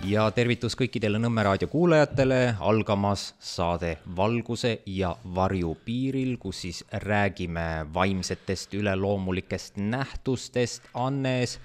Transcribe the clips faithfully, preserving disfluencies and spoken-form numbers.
Ja tervitus kõikidele Nõmme raadio kuulajatele, algamas saade Valguse ja varju piiril, kus siis räägime vaimsetest üleloomulikest nähtustest. Annes,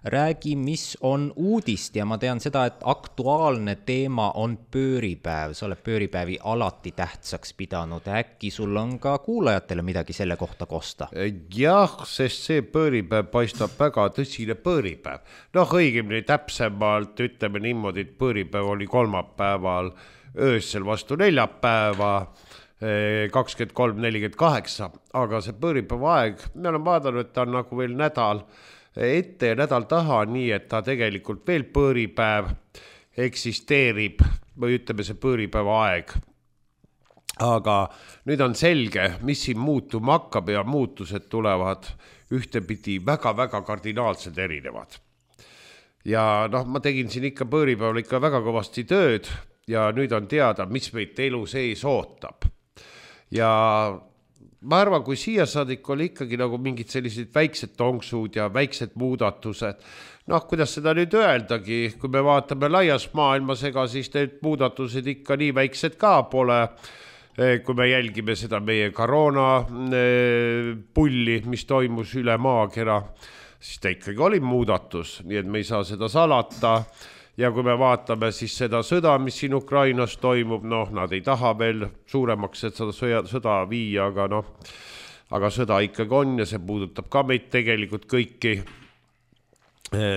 räägi, mis on uudist, ja ma tean seda, et aktuaalne teema on pööripäev. Sa oled pööripäevi alati tähtsaks pidanud. Äkki sul on ka kuulajatele midagi selle kohta kosta? Jah, sest see pööripäev paistab väga tõsine pööripäev. Noh, õigemini täpsemalt ütleme niimoodi, et pööripäev oli kolmapäeval öösel vastu neljapäeva kakskümmend kolm nelikümmend kaheksa, aga see pööripäeva aeg, me oleme vaadanud, et ta on nagu veel nädal ette ja nädal taha, nii et ta tegelikult veel pööripäev eksisteerib või ütleme see pööripäeva aeg. Aga nüüd on selge, mis siin muutuma hakkab ja muutused tulevad ühtepidi väga-väga kardinaalselt erinevad. Ja noh, ma tegin siin ikka pööripäeval ikka väga kõvasti tööd ja nüüd on teada, mis meid elu sees ootab. Ja ma arvan, kui siia saadik oli ikkagi nagu mingid sellised väiksed tonksud ja väiksed muudatused, noh, kuidas seda nüüd öeldagi, kui me vaatame laias maailmas, ega siis need muudatused ikka nii väiksed ka pole, kui me jälgime seda meie koroona pulli, mis toimus üle maakera, siis ta ikkagi oli muudatus, nii et me ei saa seda salata. Ja kui me vaatame siis seda sõda, mis siin Ukrainas toimub, noh, nad ei taha veel suuremaks, et seda sõda viia, aga noh, aga sõda ikkagi on ja see puudutab ka meid tegelikult kõiki,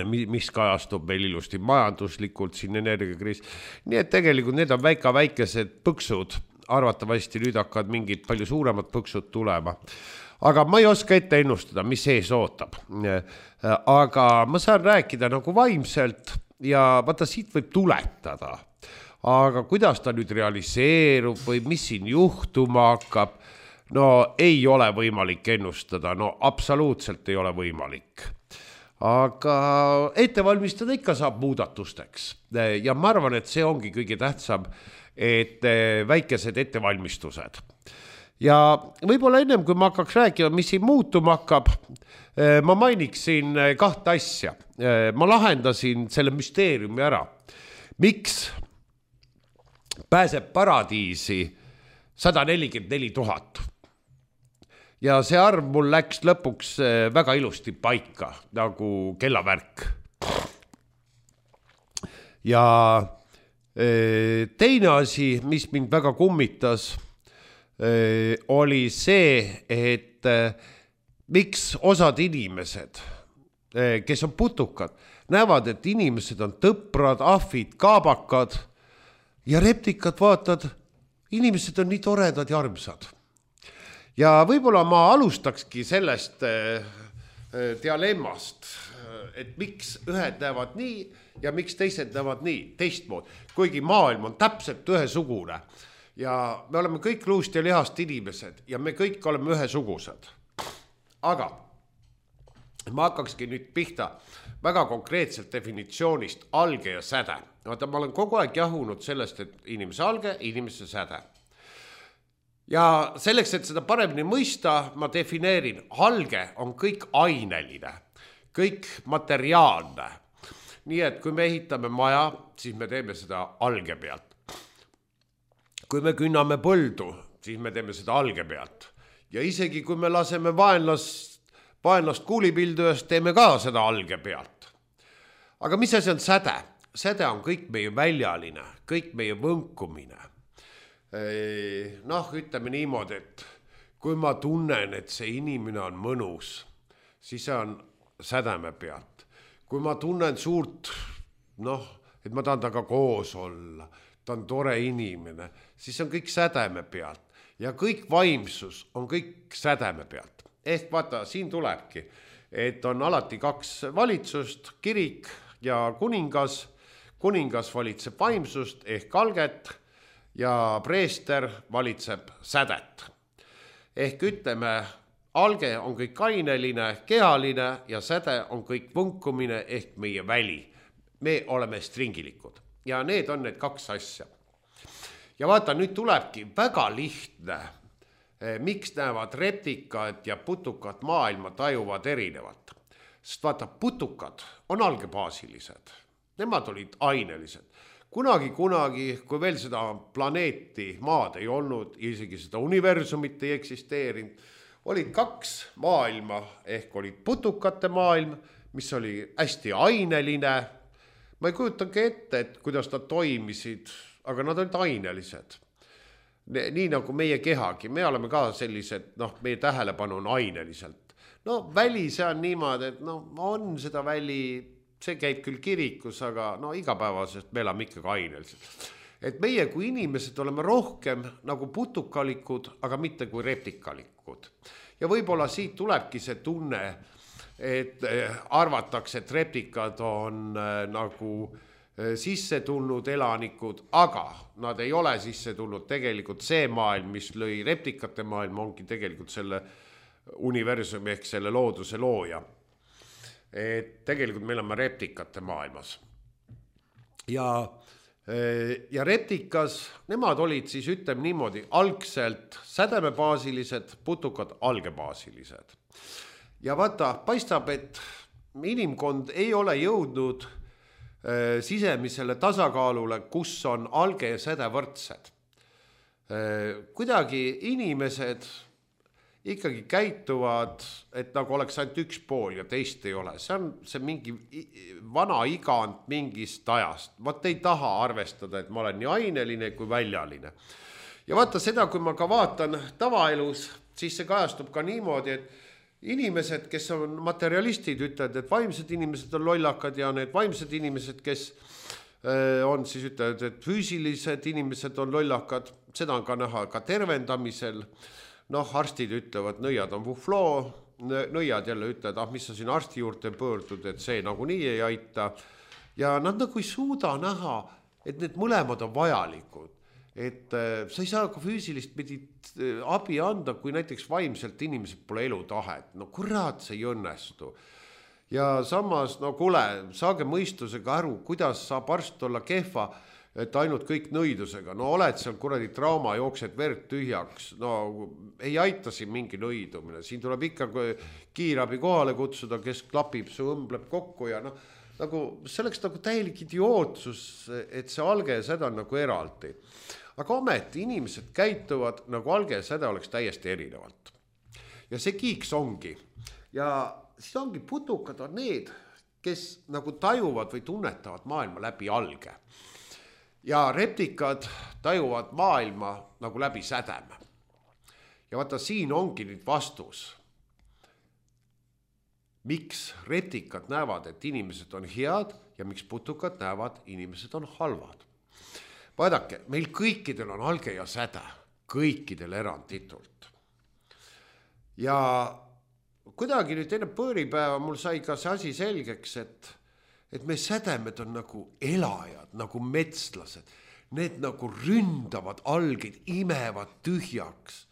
mis kajastub meil ilusti majanduslikult, siin energiakriis. Nii et tegelikult need on väika väikesed põksud, arvatavasti nüüd hakkavad mingid palju suuremad põksud tulema. Aga ma ei oska ette ennustada, mis sees ootab. Aga ma saan rääkida nagu vaimselt ja vaata siit võib tuletada. Aga kuidas ta nüüd realiseerub või mis siin juhtuma hakkab, no ei ole võimalik ennustada, no absoluutselt ei ole võimalik. Aga ette valmistada ikka saab muudatusteks. Ja ma arvan, et see ongi kõige tähtsam, et väikesed ettevalmistused. Ja võib-olla ennem, kui ma hakkaks rääkima, mis siin muutuma hakkab, ma mainiksin kahte asja. Ma lahendasin selle müsteeriumi ära. Miks pääseb paradiisi sada nelikümmend neli tuhat? Ja see arv mul läks lõpuks väga ilusti paika, nagu kellavärk. Ja teine asi, mis mind väga kummitas, oli see, et miks osad inimesed, kes on putukad, näevad, et inimesed on tõprad, ahvid, kaabakad ja reptikad vaatad, inimesed on nii toredad ja armsad. Ja võib-olla ma alustakski sellest dialemmast, et miks ühed näevad nii ja miks teised näevad nii, teistmood, kuigi maailm on täpselt ühesugune. Ja me oleme kõik luust ja lihast inimesed ja me kõik oleme ühesugused. Aga ma hakkakski nüüd pihta väga konkreetselt definitsioonist alge ja säde. Vaata, ma olen kogu aeg jahunud sellest, et inimese alge, inimese säde. Ja selleks, et seda paremini mõista, ma defineerin, alge on kõik aineline, kõik materiaalne. Nii et kui me ehitame maja, siis me teeme seda alge pealt. Kui me künname põldu, siis me teeme seda alge pealt. Ja isegi kui me laseme vaenlast, vaenlast kuulipildujast, teeme ka seda alge pealt. Aga mis asi on säde? Säde on kõik meie väljaline, kõik meie võnkumine. Noh, ütleme niimoodi, et kui ma tunnen, et see inimene on mõnus, siis see on sädeme pealt. Kui ma tunnen suurt, noh, et ma tahan taga koos olla, ta on tore inimene, siis on kõik sädeme pealt. Ja kõik vaimsus on kõik sädeme pealt. Ehk vaata, siin tulebki, et on alati kaks valitsust, kirik ja kuningas. Kuningas valitseb vaimsust ehk alget ja preester valitseb sädet. Ehk ütleme, alge on kõik aineline, kehaline ja säde on kõik võnkumine ehk meie väli. Me oleme stringilikud. Ja need on need kaks asja. Ja vaata, nüüd tulebki väga lihtne, miks näevad reptikad ja putukad maailma tajuvad erinevat. Sest vaata, putukad on algebaasilised. nemad olid ainelised. Kunagi, kunagi, kui veel seda planeeti maad ei olnud, isegi seda universumit ei eksisteerinud, olid kaks maailma, ehk olid putukate maailm, mis oli hästi aineline. Ma ei kujutangi ette, et kuidas nad toimisid, aga nad olid ainelised. Nii nagu meie kehagi, me oleme ka sellised, noh, meie tähelepanu on aineliselt. No väli see on niimoodi, et no on seda väli, see käib küll kirikus, aga no igapäevasest me elame ikkagi aineliselt. Et meie kui inimesed oleme rohkem nagu putukalikud, aga mitte kui reptikalikud. Ja võib-olla siit tulebki see tunne, et arvatakse, et reptikad on nagu sisse tulnud elanikud, aga nad ei ole sisse tulnud. Tegelikult see maailm, mis lõi reptikate maailm, ongi tegelikult selle universumi ehk selle looduse looja. Et tegelikult me oleme reptikate maailmas. Ja, ja reptikas, nemad olid siis, ütleme niimoodi, algselt sädemebaasilised, putukad algebaasilised. Ja vaata, paistab, et inimkond ei ole jõudnud sisemisele tasakaalule, kus on alge ja säde võrdsed. Kuidagi inimesed ikkagi käituvad, et nagu oleks ainult üks pool ja teist ei ole. See on see mingi vana igand mingist ajast. Vaat ei taha arvestada, et ma olen nii aineline kui väljaline. Ja vaata seda, kui ma ka vaatan tavaelus, siis see kajastub ka niimoodi, et inimesed, kes on materialistid, ütlevad, et vaimsed inimesed on lollakad ja need vaimsed inimesed, kes on siis ütlevad, et füüsilised inimesed on lollakad, seda on ka näha ka tervendamisel. Noh, arstid ütlevad, nõiad on vufloo, nõiad jälle ütlevad, ah, mis sa siin arsti juurde pöördud, et see nagu nii ei aita. Ja nad nagu ei suuda näha, et need mõlemad on vajalikud. Et sa ei saa ka füüsilist medit abi anda, kui näiteks vaimselt inimesed pole elutahet. No kurat, see ei õnnestu. Ja samas, no kuule, saage mõistusega aru, kuidas saab arst olla kehva, et ainult kõik nõidusega. No oled seal kuradi trauma, jooksed verd tühjaks. No ei aita siin mingi nõidumine. Siin tuleb ikka kiirabi kohale kutsuda, kes klapib, su õmbleb kokku ja noh, nagu selleks nagu täielik idiootsus, et see alge ja säde on nagu eraldi. Aga ometi inimesed käituvad nagu alge ja säde oleks täiesti erinevalt. Ja see kiiks ongi. Ja siis ongi putukad on need, kes nagu tajuvad või tunnetavad maailma läbi alge. Ja reptikad tajuvad maailma nagu läbi sädeme. Ja vaata, siin ongi nüüd vastus. Miks reptikad näevad, et inimesed on head ja miks putukad näevad, inimesed on halvad. Vaadake, meil kõikidel on alge ja säde, kõikidel eranditult. Ja kuidagi nüüd enne pööripäeva mul sai ka see asi selgeks, et, et me sädemed on nagu elajad, nagu metslased. Need nagu ründavad algeid, imevad tühjaks.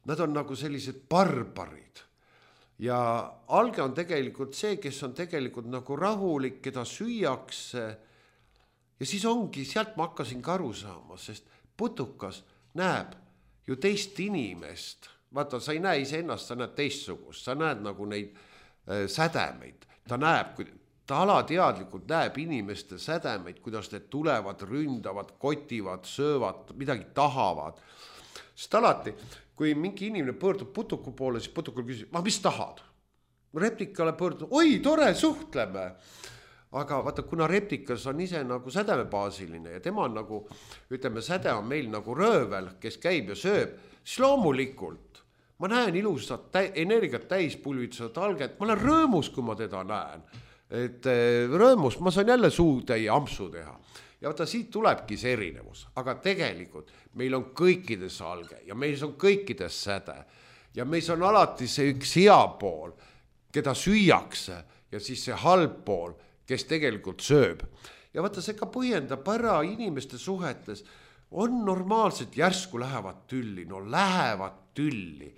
Nad on nagu sellised barbarid. Ja alge on tegelikult see, kes on tegelikult nagu rahulik, keda süüakse. Ja siis ongi, sealt ma hakkasin ka aru saama, sest putukas näeb ju teist inimest. Vaata, sa ei näe ise ennast, sa näed teistsugust, sa näed nagu neid äh, sädemeid. Ta näeb, ta alateadlikult näeb inimeste sädemeid, kuidas need tulevad, ründavad, kotivad, söövad, midagi tahavad. Sest alati, kui mingi inimene pöördub putuku poole, siis putukul küsib, ma mis tahad? Reptikale pöördub, oi, tore, suhtleme. Aga vaata, kuna reptikas on ise nagu sädemebaasiline ja tema on nagu, ütleme, säde on meil nagu röövel, kes käib ja sööb, siis loomulikult ma näen ilusat tä- energiat täis pulvitsevat alget, ma olen rõõmus, kui ma teda näen. Et rõõmus, ma saan jälle suutäie ampsu teha. Ja vaata, siit tulebki see erinevus, aga tegelikult meil on kõikides alge ja meil on kõikides säde ja meil on alati see üks hea pool, keda süüakse ja siis see halb pool, kes tegelikult sööb. Ja vaata, see ka põhjendab ära inimeste suhetes. On normaalselt järsku lähevad tülli, no lähevad tülli.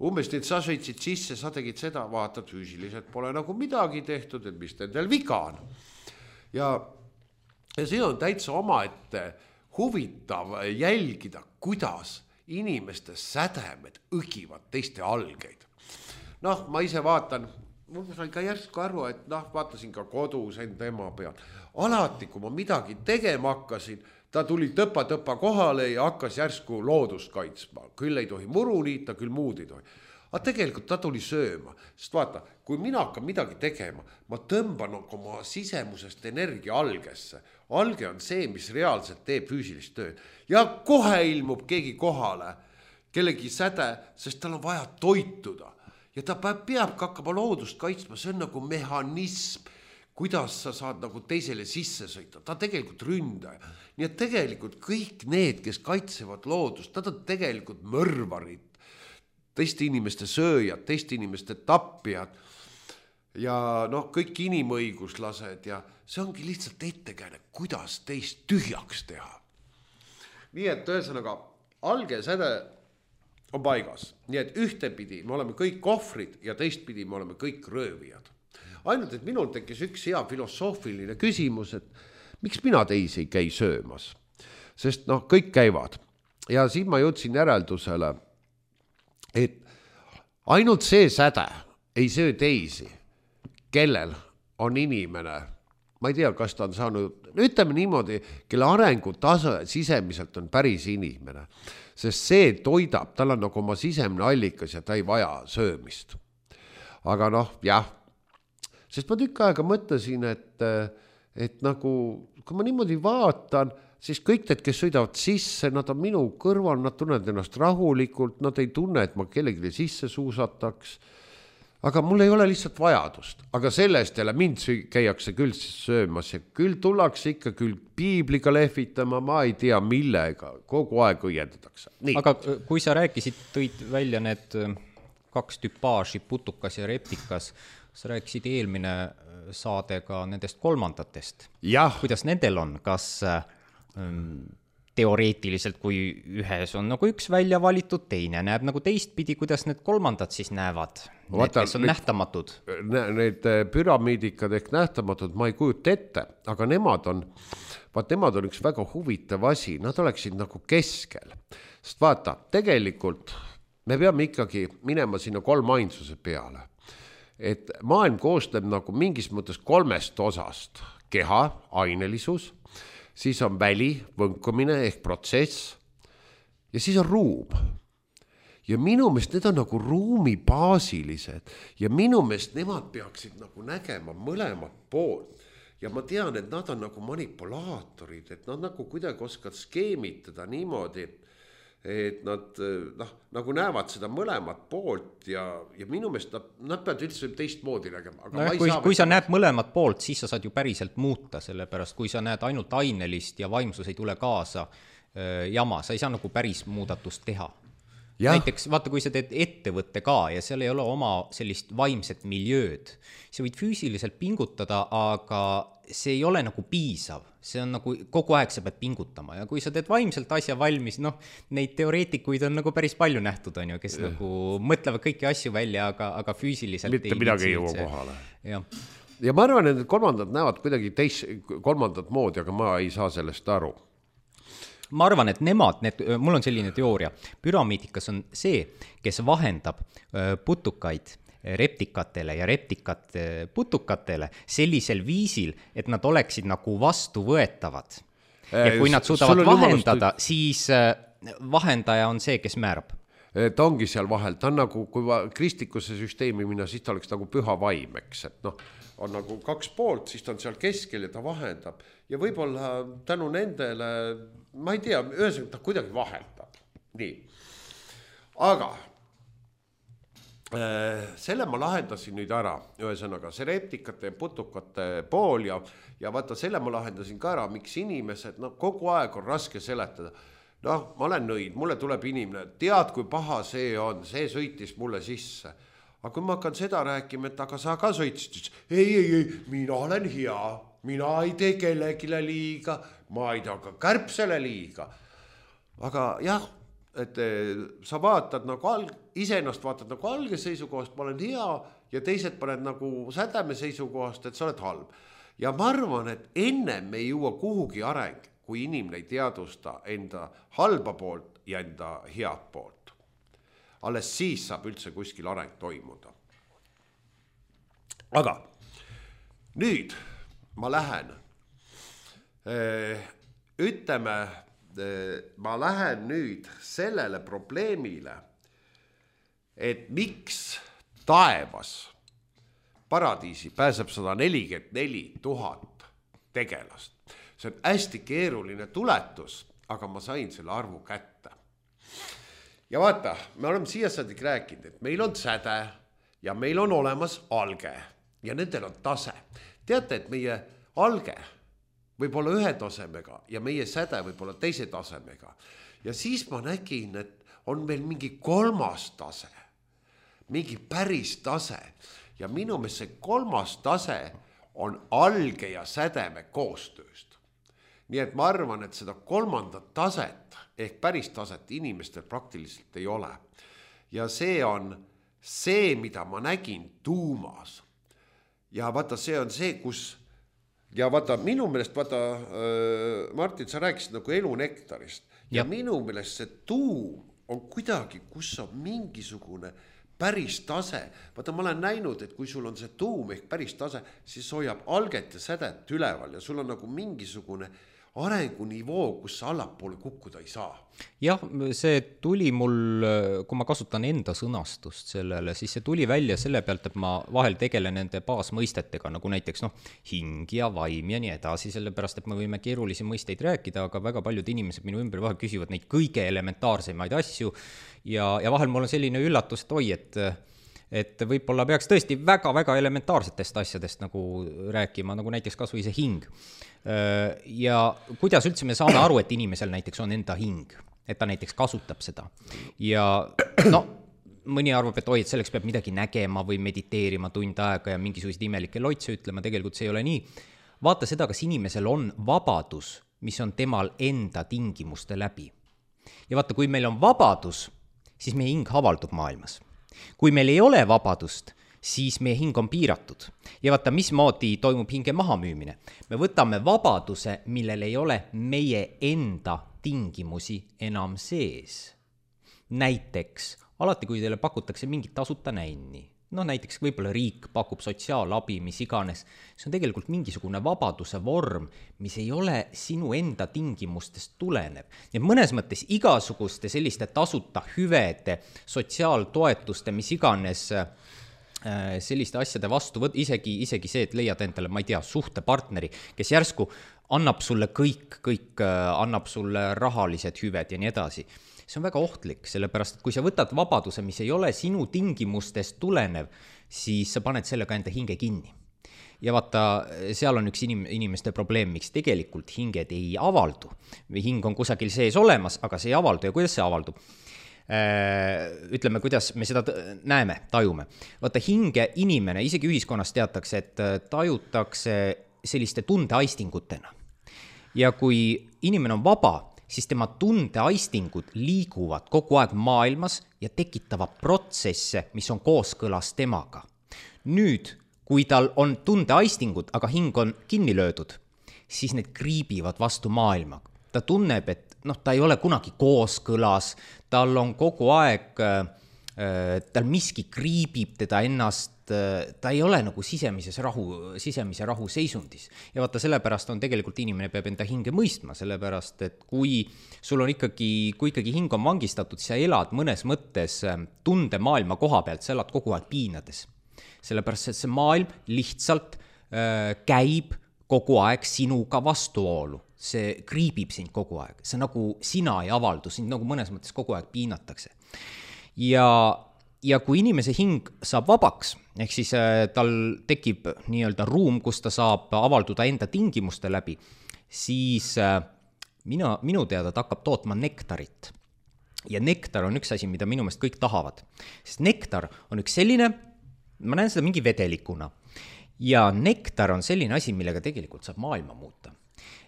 Umbes nüüd sa sõitsid sisse, sa tegid seda, vaatad füüsiliselt pole nagu midagi tehtud, et mis nendel viga on. Ja, ja see on täitsa omaette huvitav jälgida, kuidas inimeste sädemed õgivad teiste algeid. Noh, ma ise vaatan, mul sain ka järsku aru, et noh, vaatasin ka kodus enda ema peal. Alati, kui ma midagi tegema hakkasin, ta tuli tõpa-tõpa kohale ja hakkas järsku loodust kaitsma. Küll ei tohi muru niita, küll muud ei tohi. Aga tegelikult ta tuli sööma. Sest vaata, kui mina hakkan midagi tegema, ma tõmban oma sisemusest energia algesse. Alge on see, mis reaalselt teeb füüsilist tööd. Ja kohe ilmub keegi kohale, kellegi säde, sest tal on vaja toituda. Ja ta peab hakkama loodust kaitsma, see on nagu mehhanism, kuidas sa saad nagu teisele sisse sõita. Ta tegelikult ründaja. Nii et tegelikult kõik need, kes kaitsevad loodust, nad on tegelikult mõrvarid, teiste inimeste sööjad, teiste inimeste tappijad ja noh, kõik inimõiguslased ja see ongi lihtsalt ettekääne, kuidas teist tühjaks teha. Nii et ühesõnaga, alge säde on paigas. Nii et ühtepidi me oleme kõik kohvrid ja teistpidi me oleme kõik röövijad. Ainult, et minul tekkis üks hea filosoofiline küsimus, et miks mina teisi ei käi söömas? Sest noh, kõik käivad. Ja siin ma jõudsin järeldusele, et ainult see säde ei söö teisi, kellel on inimene, ma ei tea, kas ta on saanud, ütleme niimoodi, kelle arengutase sisemiselt on päris inimene, sest see toidab, tal on nagu oma sisemne allikas ja ta ei vaja söömist. Aga noh, jah, sest ma tükk aega mõtlesin, et, et nagu, kui ma niimoodi vaatan, siis kõik need, kes sõidavad sisse, nad on minu kõrval, nad tunnevad ennast rahulikult, nad ei tunne, et ma kellelegi sisse suusataks. Aga mul ei ole lihtsalt vajadust. Aga sellest jälle mind käiakse küll söömas ja küll tullakse ikka küll piibliga lehvitama, ma ei tea millega, kogu aeg õiendatakse. Nii. Aga kui sa rääkisid, tõid välja need kaks tüpaaži, putukas ja reptikas, sa rääkisid eelmine saade ka nendest kolmandatest. Jah. Kuidas nendel on? Kas ähm, teoreetiliselt, kui ühes on nagu üks välja valitud, teine näeb nagu teistpidi, kuidas need kolmandad siis näevad? Need, Vaata, kes on need, nähtamatud. Need püramiidikad ehk nähtamatud ma ei kujuta ette, aga nemad on, vaat nemad on üks väga huvitav asi, nad oleksid nagu keskel. Sest vaata, tegelikult me peame ikkagi minema sinna kolmainsuse peale. Et maailm koostab nagu mingis mõttes kolmest osast. Keha, ainelisus, siis on väli, võnkumine ehk protsess ja siis on ruum. Ja minu meelest need on nagu ruumi baasilised ja minu meelest nemad peaksid nagu nägema mõlemat poolt. Ja ma tean, et nad on nagu manipulaatorid, et nad nagu kuidagi oskavad skeemitada niimoodi, et nad noh, nagu näevad seda mõlemat poolt ja, ja minu meelest nad, nad peavad üldse teist moodi nägema. Aga no, kui, kui sa näed mõlemat poolt, siis sa saad ju päriselt muuta, sellepärast kui sa näed ainult ainelist ja vaimsus ei tule kaasa äh, jama, sa ei saa nagu päris muudatust teha. Ja. Näiteks vaata, kui sa teed ettevõtte ka ja seal ei ole oma sellist vaimset miljööd, sa võid füüsiliselt pingutada, aga see ei ole nagu piisav, see on nagu kogu aeg sa pead pingutama ja kui sa teed vaimselt asja valmis, noh, neid teoreetikuid on nagu päris palju nähtud, on ju, kes ja. Nagu mõtlevad kõiki asju välja, aga, aga füüsiliselt mitte midagi ei jõua kohale. Ja. ja ma arvan, et kolmandad näevad kuidagi teist, kolmandat moodi, aga ma ei saa sellest aru. Ma arvan, et nemad, need, mul on selline teooria, püramiidikas on see, kes vahendab putukaid reptikatele ja reptikat putukatele sellisel viisil, et nad oleksid nagu vastuvõetavad. Ja kui nad suudavad vahendada, jumalust... siis vahendaja on see, kes määrab. Ta ongi seal vahel, ta on nagu, kui kristikusse süsteemi minna, siis ta oleks nagu püha vaim, eks, et noh, on nagu kaks poolt, siis ta on seal keskel ja ta vahendab ja võib-olla tänu nendele, ma ei tea, ühesõnaga ta kuidagi vahendab. Nii. Aga äh, selle ma lahendasin nüüd ära, ühesõnaga see reptikate ja putukate pool ja, ja vaata selle ma lahendasin ka ära, miks inimesed, no kogu aeg on raske seletada. Noh, ma olen nõid, mulle tuleb inimene, tead, kui paha see on, see sõitis mulle sisse. Aga kui ma hakkan seda rääkima, et aga sa ka sõitsid, ei, ei, ei, mina olen hea, mina ei tee kellegile liiga, ma ei tea ka kärpsele liiga. Aga jah, et sa vaatad nagu alg, iseennast vaatad nagu alge seisukohast, ma olen hea ja teised paned nagu sädeme seisukohast, et sa oled halb. Ja ma arvan, et ennem me ei jõua kuhugi areng, kui inimene ei teadusta enda halba poolt ja enda head poolt. Alles siis saab üldse kuskil areng toimuda. aga nüüd ma lähen, ütleme, ma lähen nüüd sellele probleemile, et miks taevas paradiisi pääseb sada nelikümmend neli tuhat tegelast. See on hästi keeruline tuletus, aga ma sain selle arvu kätte. Ja vaata, me oleme siia saadik rääkinud, et meil on säde ja meil on olemas alge ja nendel on tase. Teate, et meie alge võib olla ühe tasemega ja meie säde võib olla teise tasemega. Ja siis ma nägin, et on meil mingi kolmas tase, mingi päris tase. Ja minu meelest see kolmas tase on alge ja sädeme koostööst. Nii et ma arvan, et seda kolmandat taset ehk päris taset inimestel praktiliselt ei ole. Ja see on see, mida ma nägin tuumas. Ja vaata, see on see, kus... Ja vaata, minu meelest, vaata, Martin, sa rääkisid nagu elunektarist. Ja, ja minu meelest see tuum on kuidagi, kus on mingisugune päris tase. Vaata, ma olen näinud, et kui sul on see tuum ehk päris tase, siis hoiab alget ja sädet üleval ja sul on nagu mingisugune arengunivoo, kus sa allapoole kukkuda ei saa. Jah, see tuli mul, kui ma kasutan enda sõnastust sellele, siis see tuli välja selle pealt, et ma vahel tegelen nende baasmõistetega, nagu näiteks noh, hing ja vaim ja nii edasi, sellepärast, et me võime keerulisi mõisteid rääkida, aga väga paljud inimesed minu ümber vahel küsivad neid kõige elementaarsemaid asju ja, ja vahel mul on selline üllatus, et oi, et et võib-olla peaks tõesti väga-väga elementaarsetest asjadest nagu rääkima, nagu näiteks kas või see hing. Ja kuidas üldse me saame aru, et inimesel näiteks on enda hing, et ta näiteks kasutab seda. Ja no, mõni arvab, et oi, et selleks peab midagi nägema või mediteerima tund aega ja mingisugused imelikke loitse ütlema, tegelikult see ei ole nii. Vaata seda, kas inimesel on vabadus, mis on temal enda tingimuste läbi. Ja vaata, kui meil on vabadus, siis meie hing avaldub maailmas. Kui meil ei ole vabadust, siis meie hing on piiratud. Ja vaata, mismoodi toimub hinge mahamüümine. Me võtame vabaduse, millel ei ole meie enda tingimusi enam sees. Näiteks, alati kui teile pakutakse mingit tasuta näinni, no näiteks võib-olla riik pakub sotsiaalabi, mis iganes, see on tegelikult mingisugune vabaduse vorm, mis ei ole sinu enda tingimustest tulenev. Ja mõnes mõttes igasuguste selliste tasuta hüvede, sotsiaaltoetuste, mis iganes selliste asjade vastu võt, isegi, isegi see, et leiad endale, ma ei tea, suhtepartneri, kes järsku annab sulle kõik, kõik annab sulle rahalised hüved ja nii edasi. See on väga ohtlik, sellepärast, et kui sa võtad vabaduse, mis ei ole sinu tingimustest tulenev, siis sa paned sellega enda hinge kinni. Ja vaata, seal on üks inim- inimeste probleem, miks tegelikult hinged ei avaldu. Või hing on kusagil sees olemas, aga see ei avaldu. Ja kuidas see avaldub? Ütleme, kuidas me seda näeme, tajume. Vaata, hinge inimene, isegi ühiskonnas teatakse, et tajutakse selliste tundeaistingutena. Ja kui inimene on vaba, siis tema tundeaistingud liiguvad kogu aeg maailmas ja tekitavad protsesse, mis on kooskõlas temaga. Nüüd, kui tal on tundeaistingud, aga hing on kinni löödud, siis need kriibivad vastu maailma. Ta tunneb, et noh, ta ei ole kunagi kooskõlas, tal on kogu aeg, tal miski kriibib teda ennast, ta ei ole nagu sisemises rahu, sisemise rahu seisundis. Ja vaata, sellepärast on tegelikult inimene peab enda hinge mõistma, sellepärast, et kui sul on ikkagi, kui ikkagi hing on vangistatud, siis sa elad mõnes mõttes tunde maailma koha pealt, sa elad kogu aeg piinades. Sellepärast, et see maailm lihtsalt äh, käib kogu aeg sinuga vastuolu. See kriibib sind kogu aeg. See nagu sina ei avaldu, sind nagu mõnes mõttes kogu aeg piinatakse. Ja Ja kui inimese hing saab vabaks, ehk siis tal tekib nii-öelda ruum, kus ta saab avalduda enda tingimuste läbi, siis mina, minu teada ta hakkab tootma nektarit. Ja nektar on üks asi, mida minu meelest kõik tahavad. Sest nektar on üks selline, ma näen seda mingi vedelikuna, ja nektar on selline asi, millega tegelikult saab maailma muuta.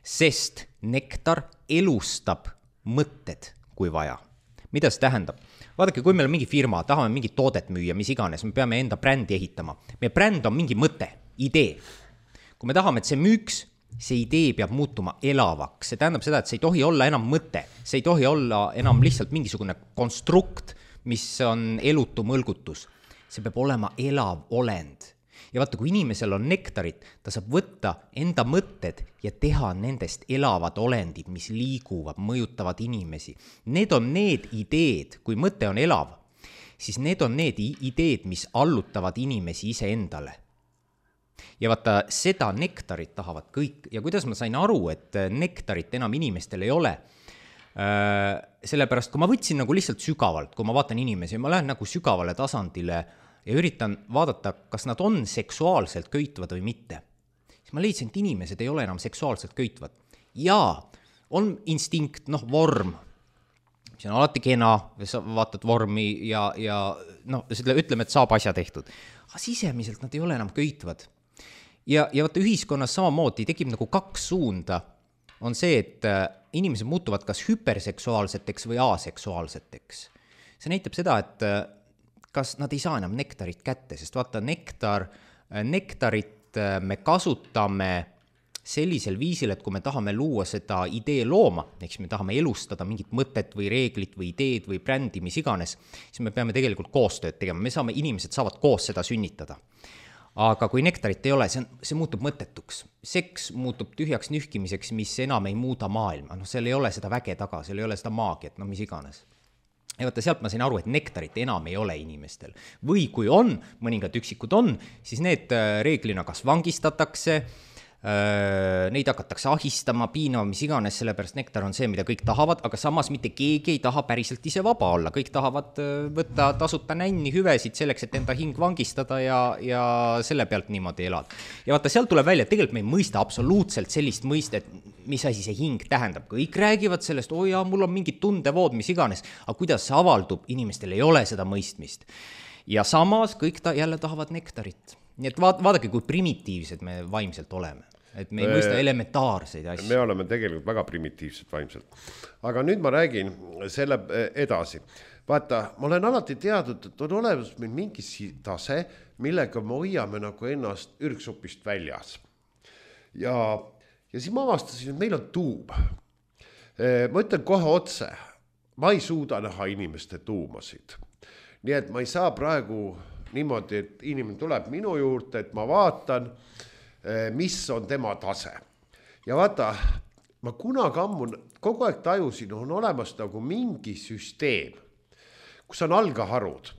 Sest nektar elustab mõtted, kui vaja. Mida see tähendab? Vaadake, kui meil on mingi firma, tahame mingi toodet müüa, mis iganes, me peame enda brändi ehitama. Meie bränd on mingi mõte, idee. Kui me tahame, et see müüks, see idee peab muutuma elavaks. See tähendab seda, et see ei tohi olla enam mõte. See ei tohi olla enam lihtsalt mingisugune konstrukt, mis on elutu mõlgutus. See peab olema elav olend. ja vaata, kui inimesel on nektarit, ta saab võtta enda mõtted ja teha nendest elavad olendid, mis liiguvad, mõjutavad inimesi. Need on need ideed, kui mõte on elav, siis need on need ideed, mis allutavad inimesi ise endale. Ja vaata, seda nektarit tahavad kõik. Ja kuidas ma sain aru, et nektarit enam inimestel ei ole? Sellepärast, kui ma võtsin nagu lihtsalt sügavalt, kui ma vaatan inimesi, ma lähen nagu sügavale tasandile ja üritan vaadata, kas nad on seksuaalselt köitvad või mitte. Siis ma leidsin, et inimesed ei ole enam seksuaalselt köitvad. Jaa, on instinkt, noh, vorm. See on alati kena, sa vaatad vormi ja, ja noh, ütleme, et saab asja tehtud. Aga sisemiselt nad ei ole enam köitvad. Ja, ja vaata, ühiskonnas samamoodi tekib nagu kaks suunda. On see, et inimesed muutuvad kas hüperseksuaalseteks või aseksuaalseteks. See näitab seda, et kas nad ei saa enam nektarit kätte, sest vaata, nektar, nektarit me kasutame sellisel viisil, et kui me tahame luua seda idee looma, eks me tahame elustada mingit mõtet või reeglit või ideed või brändi, mis iganes, siis me peame tegelikult koostööd tegema. Me saame, inimesed saavad koos seda sünnitada. Aga kui nektarit ei ole, see, on, see muutub mõttetuks. Seks muutub tühjaks nühkimiseks, mis enam ei muuda maailma. No, seal ei ole seda väge taga, seal ei ole seda maagiat, no mis iganes. Ja vaata, sealt ma sain aru, et nektarit enam ei ole inimestel. Või kui on, mõningad üksikud on, siis need reeglina kas vangistatakse, neid hakatakse ahistama, piinama, mis iganes, sellepärast nektar on see, mida kõik tahavad, aga samas mitte keegi ei taha päriselt ise vaba olla. Kõik tahavad võtta tasuta nänni hüvesid selleks, et enda hing vangistada ja, ja selle pealt niimoodi elada. Ja vaata, sealt tuleb välja, et tegelikult me ei mõista absoluutselt sellist mõistet, mis asi see hing tähendab. Kõik räägivad sellest, oi jaa, mul on mingid tundevood, mis iganes, aga kuidas see avaldub, inimestel ei ole seda mõistmist. Ja samas kõik ta jälle tahavad nektarit. Nii et vaad, vaadake, kui primitiivsed me vaimselt oleme. Et me ei mõista elementaarseid asju. Me oleme tegelikult väga primitiivsed vaimselt. Aga nüüd ma räägin selle edasi. Vaata, ma olen alati teadnud, et on olemas meil mingi tase, millega me hoiame nagu ennast ürgsupist väljas. Ja, ja siis ma avastasin, et meil on tuum. Ma ütlen kohe otse, ma ei suuda näha inimeste tuumasid. Nii et ma ei saa praegu niimoodi, et inimene tuleb minu juurde, et ma vaatan, mis on tema tase. Ja vaata, ma kunagi ammu kogu aeg tajusin, on olemas nagu mingi süsteem, kus on algaharud.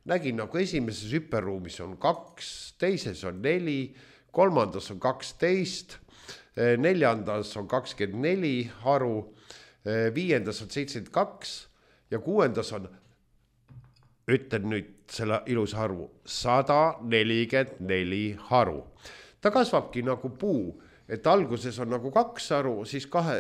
Nägin nagu esimeses hüperruumis on kaks, teises on neli, kolmandas on kaksteist, neljandas on kakskümmend neli haru, viiendas on seitsekümmend kaks ja kuuendas on, ütlen nüüd selle ilus haru, sada nelikümmend neli haru. Ta kasvabki nagu puu, et alguses on nagu kaks haru, siis, kahe,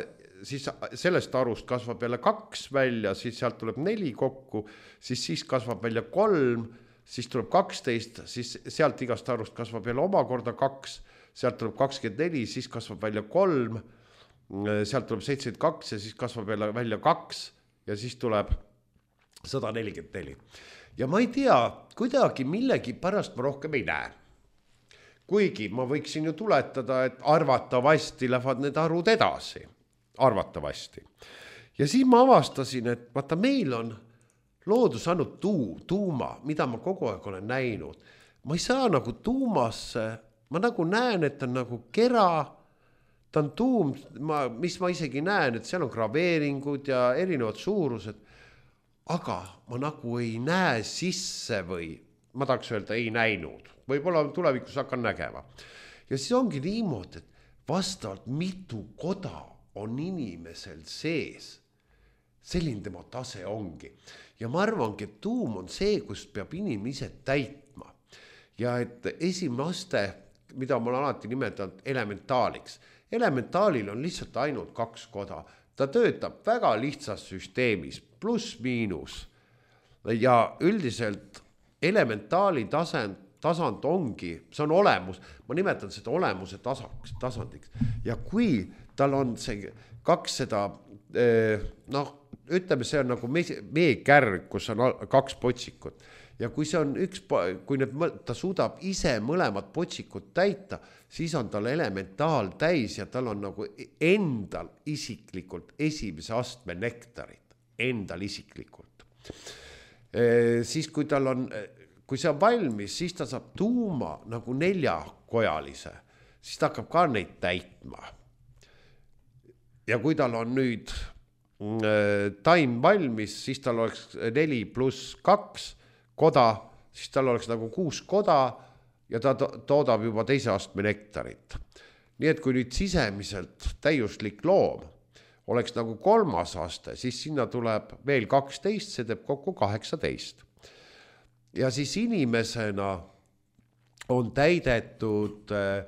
siis sellest harust kasvab jälle kaks välja, siis sealt tuleb neli kokku, siis, siis kasvab välja kolm, siis tuleb kaksteist, siis sealt igast harust kasvab jälle omakorda kaks, sealt tuleb kakskümmend neli, siis kasvab välja kolm, sealt tuleb seitsekümmend kaks ja siis kasvab jälle välja kaks ja siis tuleb sada nelikümmend neli. Ja ma ei tea, kuidagi millegi pärast ma rohkem ei näe. Kuigi ma võiksin ju tuletada, et arvatavasti lähevad need arvud edasi. Arvatavasti. Ja siis ma avastasin, et vaata, meil on loodus andnud tuu, tuuma, mida ma kogu aeg olen näinud. Ma ei saa nagu tuumasse, ma nagu näen, et on nagu kera, ta on tuum, ma, mis ma isegi näen, et seal on graveeringud ja erinevad suurused, aga ma nagu ei näe sisse või ma tahaks öelda, ei näinud. Võib-olla tulevikus hakkan nägema. Ja siis ongi niimoodi, et vastavalt mitu koda on inimesel sees. Selline tema tase ongi. Ja ma arvangi, et tuum on see, kus peab inimese täitma. Ja et esimene aste, mida ma olen alati nimetanud elementaaliks. Elementaalil on lihtsalt ainult kaks koda. Ta töötab väga lihtsas süsteemis, pluss miinus. Ja üldiselt elementaali tasand, tasand ongi, see on olemus, ma nimetan seda olemuse tasaks, tasandiks. Ja kui tal on see kaks seda, noh, ütleme, see on nagu meekärg, kus on kaks potsikut. Ja kui see on üks, kui need, ta suudab ise mõlemad potsikut täita, siis on tal elementaal täis ja tal on nagu endal isiklikult esimese astme nektarit, endal isiklikult. Siis kui tal on kui see on valmis, siis ta saab tuuma nagu neljakojalise, siis ta hakkab ka neid täitma. Ja kui tal on nüüd äh, taim valmis, siis tal oleks neli pluss kaks koda, siis tal oleks nagu kuus koda ja ta to- toodab juba teise astme nektarit. Nii et kui nüüd sisemiselt täiuslik loom oleks nagu kolmas aste, siis sinna tuleb veel kaksteist, see teeb kokku kaheksateist. Ja siis inimesena on täidetud äh,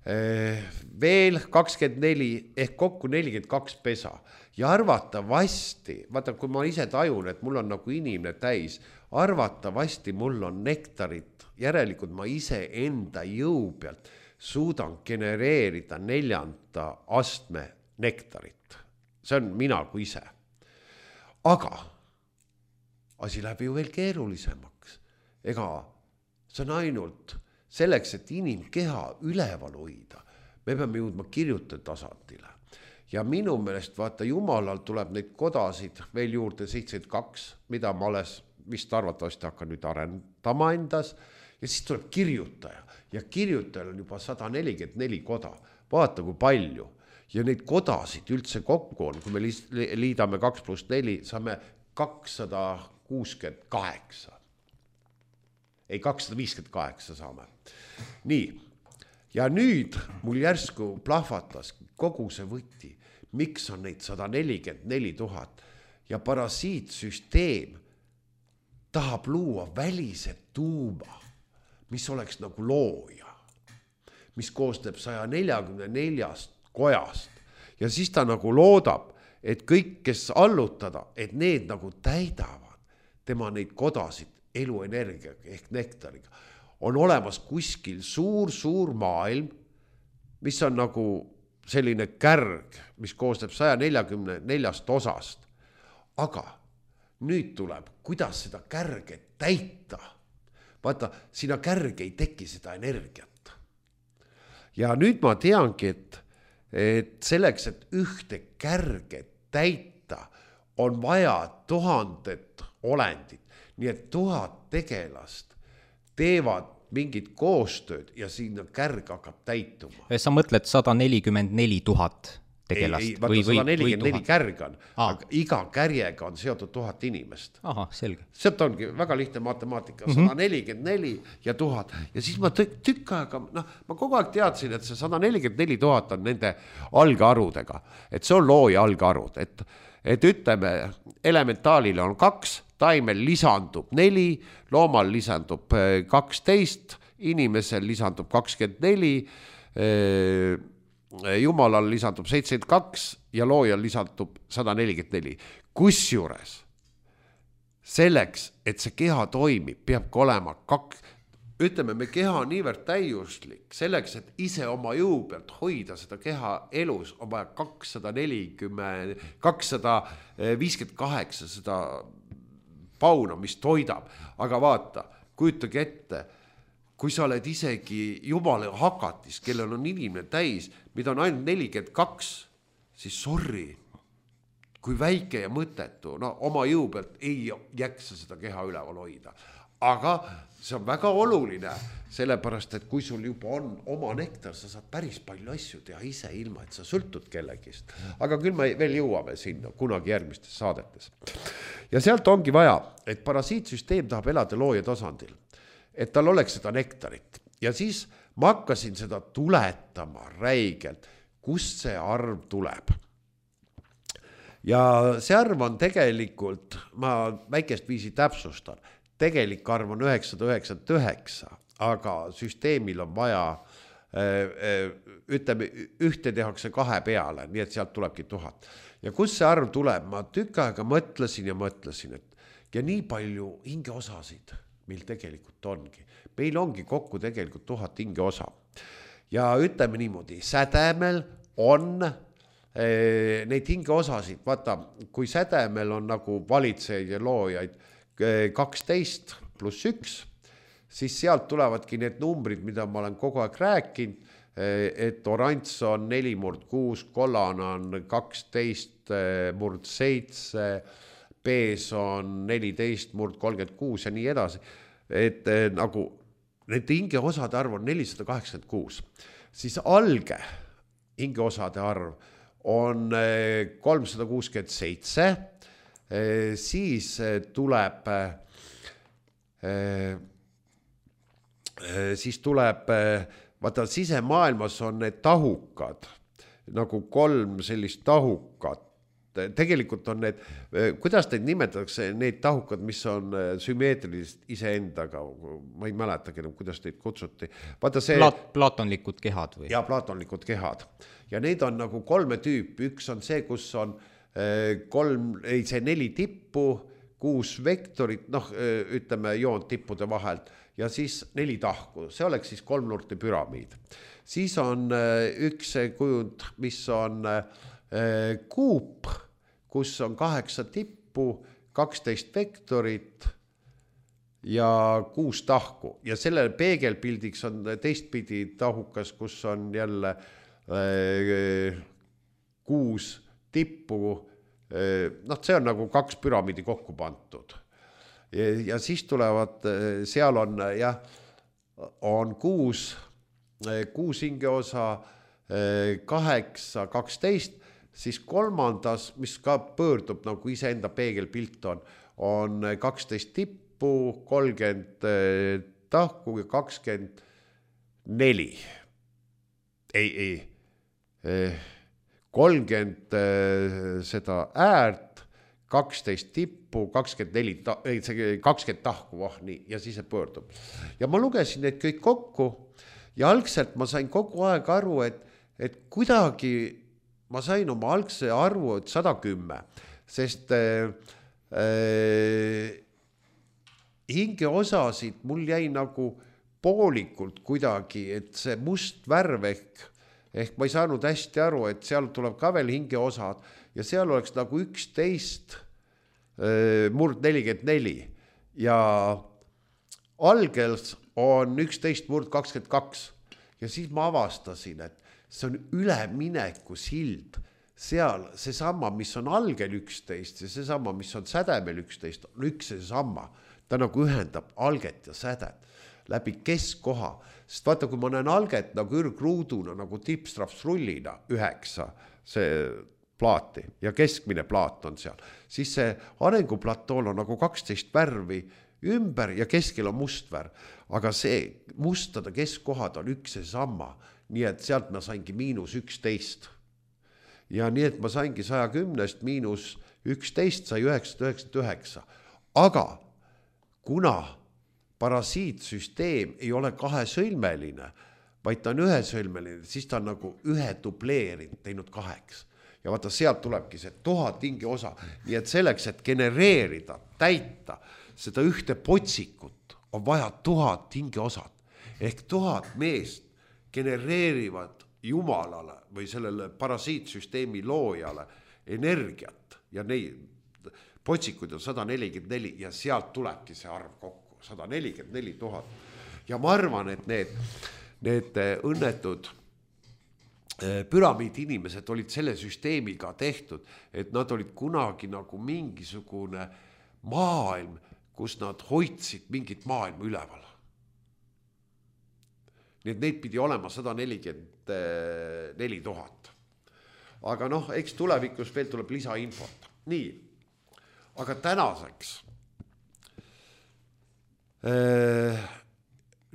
äh, veel kakskümmend neli ehk kokku nelikümmend kaks pesa. Ja arvatavasti, vaata kui ma ise tajun, et mul on nagu inimene täis, arvatavasti mul on nektarit, järelikult ma ise enda jõu pealt suudan genereerida neljanda astme nektarit. See on mina kui ise. Aga asi läheb ju veel keerulisemaks. Ega see on ainult selleks, et inimkeha üleval hoida. Me peame jõudma kirjute tasandile. Ja minu meelest, vaata, Jumalal tuleb neid kodasid veel juurde seitsekümmend kaks, mida ma alles vist arvatavasti hakkan nüüd arendama endas. Ja siis tuleb kirjutaja. Ja kirjutajal on juba sada nelikümmend neli koda. Vaata, kui palju. Ja neid kodasid üldse kokku on, kui me liidame kaks pluss neli, saame kakssada kuuskümmend kaheksa. Ei, kakssada viiskümmend kaheksa saame. Nii, ja nüüd mul järsku plahvatas kogu see võti, miks on neid sada nelikümmend neli tuhat ja parasiitsüsteem tahab luua välise tuuma, mis oleks nagu looja, mis koostab saja neljakümne neljast kojast ja siis ta nagu loodab, et kõik, kes allutada, et need nagu täidavad tema neid kodasid eluenergiaga ehk nektariga. On olemas kuskil suur-suur maailm, mis on nagu selline kärg, mis koostab saja neljakümne neljast osast. Aga nüüd tuleb, kuidas seda kärget täita. Vaata, sina kärg ei teki seda energiat. Ja nüüd ma teangi, et, et selleks, et ühte kärget täita, on vaja tuhandet olendit. Nii et tuhat tegelast teevad mingit koostööd ja sinna kärg hakkab täituma. Sa mõtled sada nelikümmend neli tuhat tegelast? Ei, ei, vaata sada nelikümmend neli kärg on, aga iga kärjega on seotud tuhat inimest. Aha, selge. Sealt ongi väga lihtne matemaatika, sada nelikümmend neli ja tuhat. Ja siis ma tükk, tükk aega, noh, ma kogu aeg teadsin, et see sada nelikümmend neli tuhat on nende algarudega. Et see on looja algarud. Et, et ütleme, elementaalile on kaks, taimel lisandub neli, loomal lisandub kaksteist, inimesel lisandub kakskümmend neli, Jumalal lisandub seitsekümmend kaks ja loojal lisandub sada nelikümmend neli. Kusjuures selleks, et see keha toimib, peabki olema kaks, ütleme, me keha on niivõrd täiuslik, selleks, et ise oma jõu pealt hoida seda keha elus, on vaja kakssada nelikümmend, kakssada viiskümmend kaheksa seda pauna, mis toidab. Aga vaata, kujutage ette, kui sa oled isegi Jumala hakatis, kellel on inimene täis, mida on ainult nelikümmend kaks, siis sorry, kui väike ja mõttetu, no oma jõu pealt ei jaksa seda keha üleval hoida. Aga see on väga oluline, sellepärast, et kui sul juba on oma nektar, sa saad päris palju asju teha ise ilma, et sa sõltud kellegist. Aga küll me veel jõuame sinna kunagi järgmistes saadetes. Ja sealt ongi vaja, et parasiitsüsteem tahab elada looja tasandil, et tal oleks seda nektarit. Ja siis ma hakkasin seda tuletama räigelt, kust see arv tuleb. Ja see arv on tegelikult, ma väikest viisi täpsustan, tegelik arv on üheksasada üheksakümmend üheksa, aga süsteemil on vaja, ütleme, ühte tehakse kahe peale, nii et sealt tulebki tuhat. Ja kus see arv tuleb, ma tükk aega mõtlesin ja mõtlesin, et ja nii palju hingeosasid meil tegelikult ongi. Meil ongi kokku tegelikult tuhat hingeosa. Ja ütleme niimoodi, sädemel on eh, neid hingeosasid, vaata, kui sädemel on nagu valitsejaid ja loojaid kaksteist pluss üks, siis sealt tulevadki need numbrid, mida ma olen kogu aeg rääkinud, et oranž on neli murd kuus, kollane on kaksteist murd seitse, pees on neliteist murd kolmkümmend kuus ja nii edasi. et nagu nende hingeosade arv on nelisada kaheksakümmend kuus, siis alge hingeosade arv on kolmsada kuuskümmend seitse, siis tuleb, siis tuleb, vaata sisemaailmas on need tahukad, nagu kolm sellist tahukat. Tegelikult on need, kuidas neid nimetatakse, need tahukad, mis on sümmeetrilised iseendaga, ma ei mäletagi, kuidas neid kutsuti. Vaata see... Plat, platonlikud kehad või? Ja, platonlikud kehad. Ja neid on nagu kolme tüüpi. Üks on see, kus on kolm, ei see neli tippu, kuus vektorit, noh, ütleme joon tippude vahelt ja siis neli tahku. See oleks siis kolmnurkne püramiid. Siis on üks kujund, mis on kuup, kus on kaheksa tippu, kaksteist vektorit ja kuus tahku. Ja selle peegelpildiks on teistpidi tahukas, kus on jälle kuus tippu. Noh, see on nagu kaks püramiidi kokku pantud. Ja, ja siis tulevad, seal on, jah, on kuus, kuus hingeosa, kaheksa, kaksteist, siis kolmandas, mis ka pöördub nagu iseenda peegelpilt on, on kaksteist tippu, kolmkümmend tahku ja kakskümmend neli. Ei, ei, kolmkümmend seda äärt, kaksteist tippu, kakskümmend neli, ei, see kakskümmend tahku, oh, nii, ja siis see pöördub. Ja ma lugesin need kõik kokku ja algselt ma sain kogu aeg aru, et, et kuidagi ma sain oma algse arvu, et sada kümme, sest äh, äh, hingeosasid mul jäi nagu poolikult kuidagi, et see must värv ehk, ehk ma ei saanud hästi aru, et seal tuleb ka veel hingeosad ja seal oleks nagu üksteist äh, murd nelikümmend neli ja algels on üksteist murd kakskümmend kaks ja siis ma avastasin, et see on ülemineku sild, seal seesama, mis on algel üksteist ja seesama, mis on sädemel üksteist, on üks ja seesama. Ta nagu ühendab alget ja sädet läbi keskkoha. Sest vaata, kui ma näen alget nagu ürgruuduna, nagu tipstrapsrullina üheksa, see plaati ja keskmine plaat on seal, siis see arenguplatool on nagu kaksteist värvi ümber ja keskel on must värv. Aga see mustade keskkohad on üks ja seesama. Nii et sealt ma saingi miinus üksteist. Ja nii et ma saingi saja kümnest miinus üksteist sai üheksasada üheksakümmend üheksa. Aga kuna parasiitsüsteem ei ole kahesõlmeline, vaid ta on ühesõlmeline, siis ta on nagu ühe dubleerinud, teinud kaheks. Ja vaata, sealt tulebki see tuhat hingeosa. Nii et selleks, et genereerida, täita seda ühte potsikut, on vaja tuhat hingeosad. Ehk tuhat meest genereerivad Jumalale või sellele parasiitsüsteemi loojale energiat ja neid potsikud on sada nelikümmend neli ja sealt tulebki see arv kokku, sada nelikümmend neli tuhat. Ja ma arvan, et need, need õnnetud püramiidi inimesed olid selle süsteemiga tehtud, et nad olid kunagi nagu mingisugune maailm, kus nad hoidsid mingit maailma üleval. Nii et neid pidi olema sada nelikümmend neli tuhat. Aga noh, eks tulevikus veel tuleb lisainfot. Nii, aga tänaseks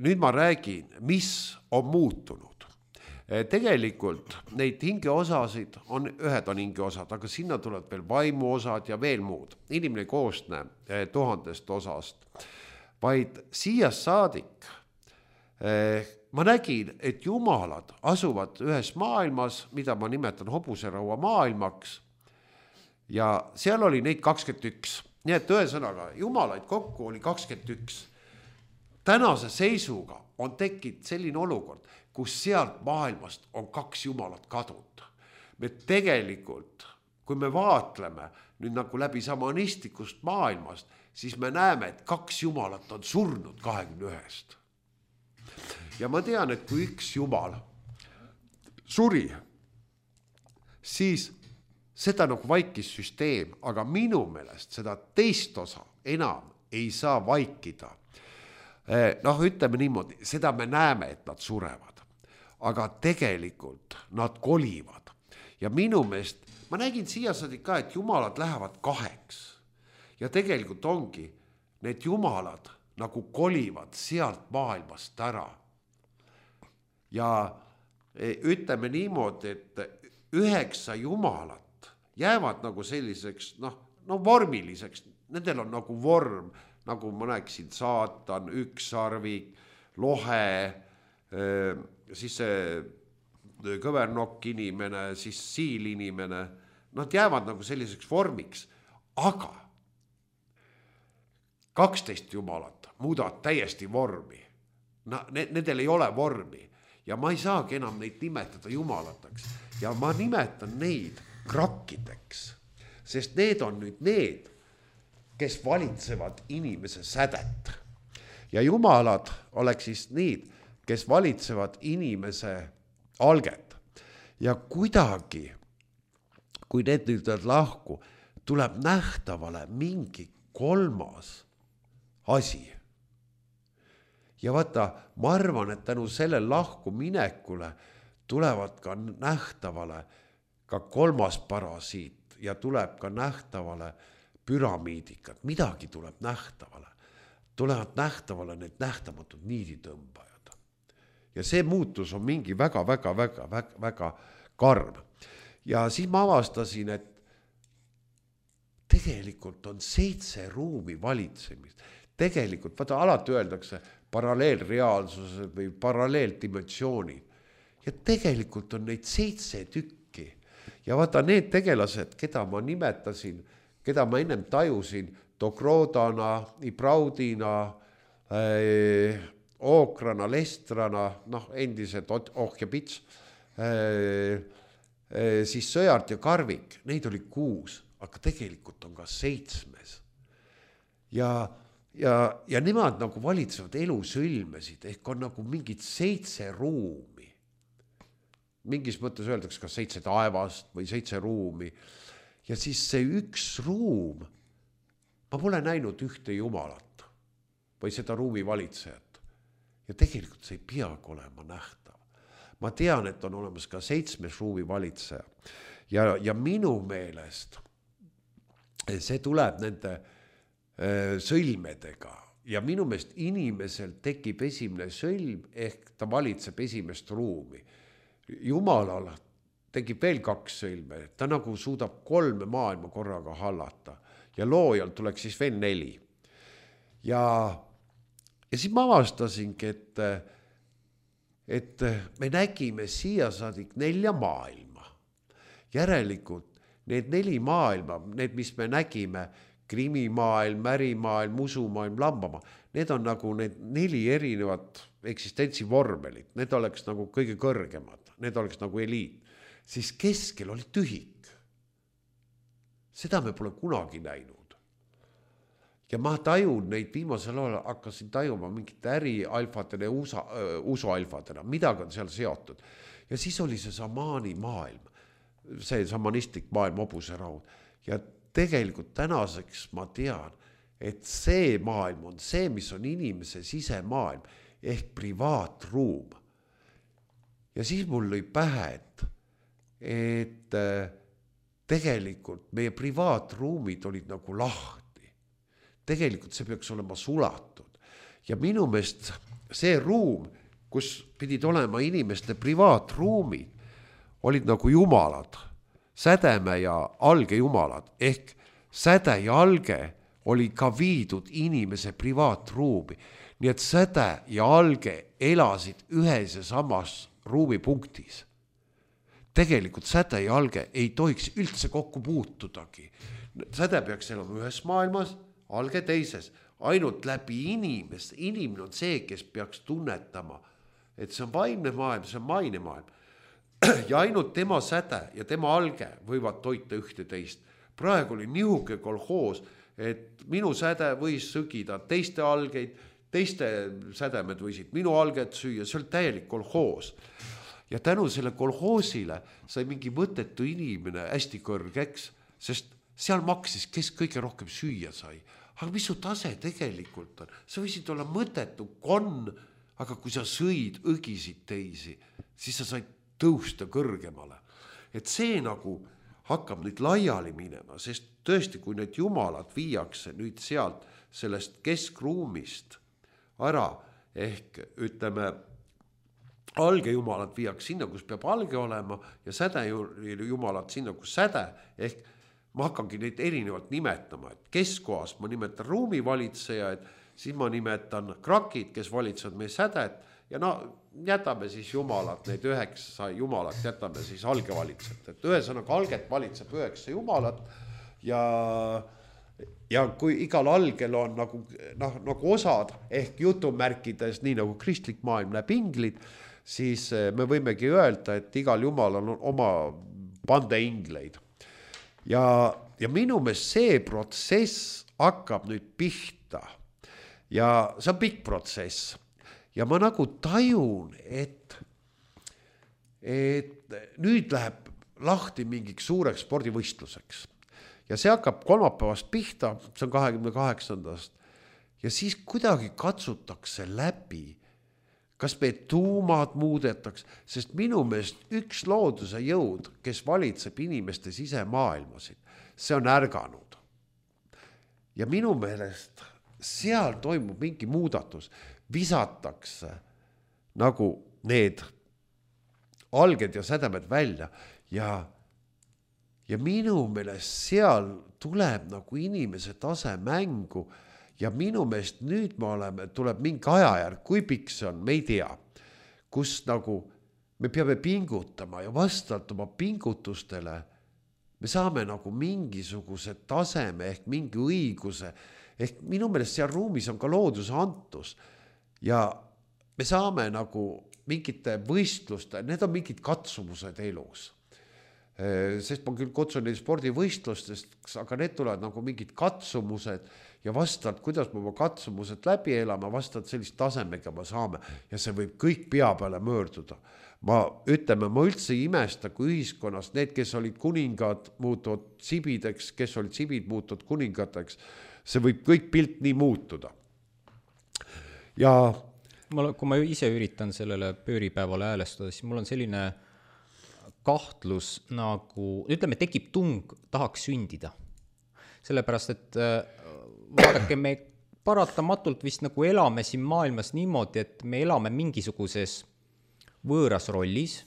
nüüd ma räägin, mis on muutunud. Tegelikult neid hingeosasid on, ühed on hingeosad, aga sinna tuleb veel vaimuosad ja veel muud. Inimene koosne tuhandest osast, vaid siia saadik ma nägin, et jumalad asuvad ühes maailmas, mida ma nimetan hobuseraua maailmaks ja seal oli neid kakskümmend üks. Nii et ühesõnaga, jumalaid kokku oli kakskümmend üks. Tänase seisuga on tekkinud selline olukord, kus sealt maailmast on kaks jumalat kadunud. Me tegelikult, kui me vaatleme nüüd nagu läbi samanistlikust maailmast, siis me näeme, et kaks jumalat on surnud kahekümne ühest. Ja ma tean, et kui üks jumal suri, siis seda nagu vaikis süsteem, aga minu meelest seda teist osa enam ei saa vaikida. noh, ütleme niimoodi, seda me näeme, et nad surevad, aga tegelikult nad kolivad ja minu meelest, ma nägin siiasadi ka, et jumalad lähevad kaheks ja tegelikult ongi, need jumalad nagu kolivad sealt maailmast ära. Ja ütleme niimoodi, et üheksa jumalat jäävad nagu selliseks, noh, no vormiliseks, nendel on nagu vorm, nagu ma näeksin saatan, ükssarvik, lohe, siis see kõvernokk inimene, siis siil inimene, nad jäävad nagu selliseks vormiks, aga kaksteist jumalat muudavad täiesti vormi. No, nendel ei ole vormi ja ma ei saagi enam neid nimetada jumalateks ja ma nimetan neid krakkideks, sest need on nüüd need, kes valitsevad inimese sädet. Ja jumalad oleks siis need, kes valitsevad inimese alget. Ja kuidagi, kui need nüüd lahku, tuleb nähtavale mingi kolmas asi. Ja vaata, ma arvan, et tänu selle lahku minekule tulevad ka nähtavale ka kolmas parasiit ja tuleb ka nähtavale püramiidikad, midagi tuleb nähtavale. Tulevad nähtavale need nähtamatud niiditõmbajad. Ja see muutus on mingi väga, väga, väga, väga, väga karm. Ja siis ma avastasin, et tegelikult on seitse ruumi valitsemist. Tegelikult, vaata, alati öeldakse paralleelreaalsused või paralleeldimensioonid. Ja tegelikult on neid seitse tükki. Ja vaata, need tegelased, keda ma nimetasin, keda ma ennem tajusin, Tokrodana, Ibraudina, äh, Ookrana, Lestrana, noh, endised Oh ja Pits, äh, äh, siis Sõjart ja Karvik, neid oli kuus, aga tegelikult on ka seitsmes. Ja, ja, ja nemad nagu valitsevad elusõlmesid, ehk on nagu mingid seitse ruumi. Mingis mõttes öeldaks ka seitse taevast või seitse ruumi. Ja siis see üks ruum, ma pole näinud ühte jumalat või seda ruumi valitsejat. Ja tegelikult see ei peagi olema nähtav. Ma tean, et on olemas ka seitsmes ruumi valitseja. Ja, ja minu meelest see tuleb nende äh, sõlmedega. Ja minu meelest inimesel tekib esimene sõlm, ehk ta valitseb esimest ruumi. Jumalal tekib veel kaks sõlme, ta nagu suudab kolme maailma korraga hallata ja loojal tuleks siis veel neli. Ja, ja siis ma avastasingi, et, et me nägime siia saadik nelja maailma. Järelikult need neli maailma, need, mis me nägime, krimimaailm, märimaailm, musumaailm, lambamaa, need on nagu need neli erinevat eksistentsivormelit, need oleks nagu kõige kõrgemad, need oleks nagu eliit. Siis keskel oli tühik. Seda me pole kunagi näinud. Ja ma tajun neid viimasel ajal, hakkasin tajuma mingit äri alfadena, usa, usu alfadena, midagi on seal seotud. Ja siis oli see samaani maailm, see samanistlik maailm, hobuse raud. Ja tegelikult tänaseks ma tean, et see maailm on see, mis on inimese sisemaailm, ehk privaatruum. Ja siis mul lõi pähe, et et tegelikult meie privaatruumid olid nagu lahti. Tegelikult see peaks olema sulatud. Ja minu meelest see ruum, kus pidid olema inimeste privaatruumid, olid nagu jumalad, sädeme ja alge jumalad, ehk säde ja alge oli ka viidud inimese privaatruumi. Nii et säde ja alge elasid ühes ja samas ruumipunktis. Tegelikult säde ja alge ei tohiks üldse kokku puutudagi. Säde peaks elama ühes maailmas, alge teises. Ainult läbi inimest. Inimene on see, kes peaks tunnetama, et see on vaimne maailm, see on maine maailm. Ja ainult tema säde ja tema alge võivad toita ühte teist. Praegu oli nihuke kolhoos, et minu säde võis sõgida teiste algeid, teiste sädemed võisid minu alget süüa, see oli täielik kolhoos. Ja tänu selle kolhoosile sai mingi mõttetu inimene hästi kõrgeks, sest seal maksis, kes kõige rohkem süüa sai. aga mis su tase tegelikult on? Sa võisid olla mõttetu konn, aga kui sa sõid, õgisid teisi, siis sa said tõusta kõrgemale. Et see nagu hakkab nüüd laiali minema, sest tõesti, kui need jumalad viiakse nüüd sealt sellest keskruumist ära, ehk ütleme, algejumalad viiakse sinna, kus peab alge olema ja sädejumalad sinna, kus säde, ehk ma hakkangi neid erinevalt nimetama, et keskkohas ma nimetan ruumivalitsejaid, siis ma nimetan krakid, kes valitsevad meie sädet ja no jätame siis jumalad, need üheksa jumalat jätame siis algevalitsejat, et ühesõnaga alget valitseb üheksa jumalat ja ja kui igal algel on nagu, noh, nagu osad ehk jutumärkides, nii nagu kristlik maailm näeb inglid, siis me võimegi öelda, et igal jumalal on oma bande ingleid. Ja, ja minu meelest see protsess hakkab nüüd pihta ja see on pikk protsess ja ma nagu tajun, et, et nüüd läheb lahti mingiks suureks spordivõistluseks ja see hakkab kolmapäevast pihta, see on kahekümne kaheksandast ja siis kuidagi katsutakse läbi, kas me tuumad muudetaks, sest minu meelest üks looduse jõud, kes valitseb inimeste sisemaailmasid, see on ärganud. Ja minu meelest seal toimub mingi muudatus, visatakse nagu need alged ja sädemed välja ja, ja minu meelest seal tuleb nagu inimese tase mängu ja minu meelest nüüd me oleme, tuleb mingi ajajärg, kui pikk see on, me ei tea, kus nagu me peame pingutama ja vastavalt oma pingutustele me saame nagu mingisuguse taseme ehk mingi õiguse, ehk minu meelest seal ruumis on ka looduse antus ja me saame nagu mingite võistluste, need on mingid katsumused elus. Sest ma küll kutsun neid spordivõistlustest, aga need tulevad nagu mingid katsumused ja vastavalt, kuidas me oma katsumused läbi elame, vastavalt sellist tasemega me saame ja see võib kõik pea peale möörduda. Ma ütleme, ma üldse ei imesta, kui ühiskonnas need, kes olid kuningad, muutuvad sibideks, kes olid sibid, muutuvad kuningateks, see võib kõik pilt nii muutuda. Ja ma, kui ma ise üritan sellele pööripäevale häälestada, siis mul on selline kahtlus nagu, ütleme, tekib tung, tahaks sündida. Sellepärast, et vaadake, me paratamatult vist nagu elame siin maailmas niimoodi, et me elame mingisuguses võõras rollis,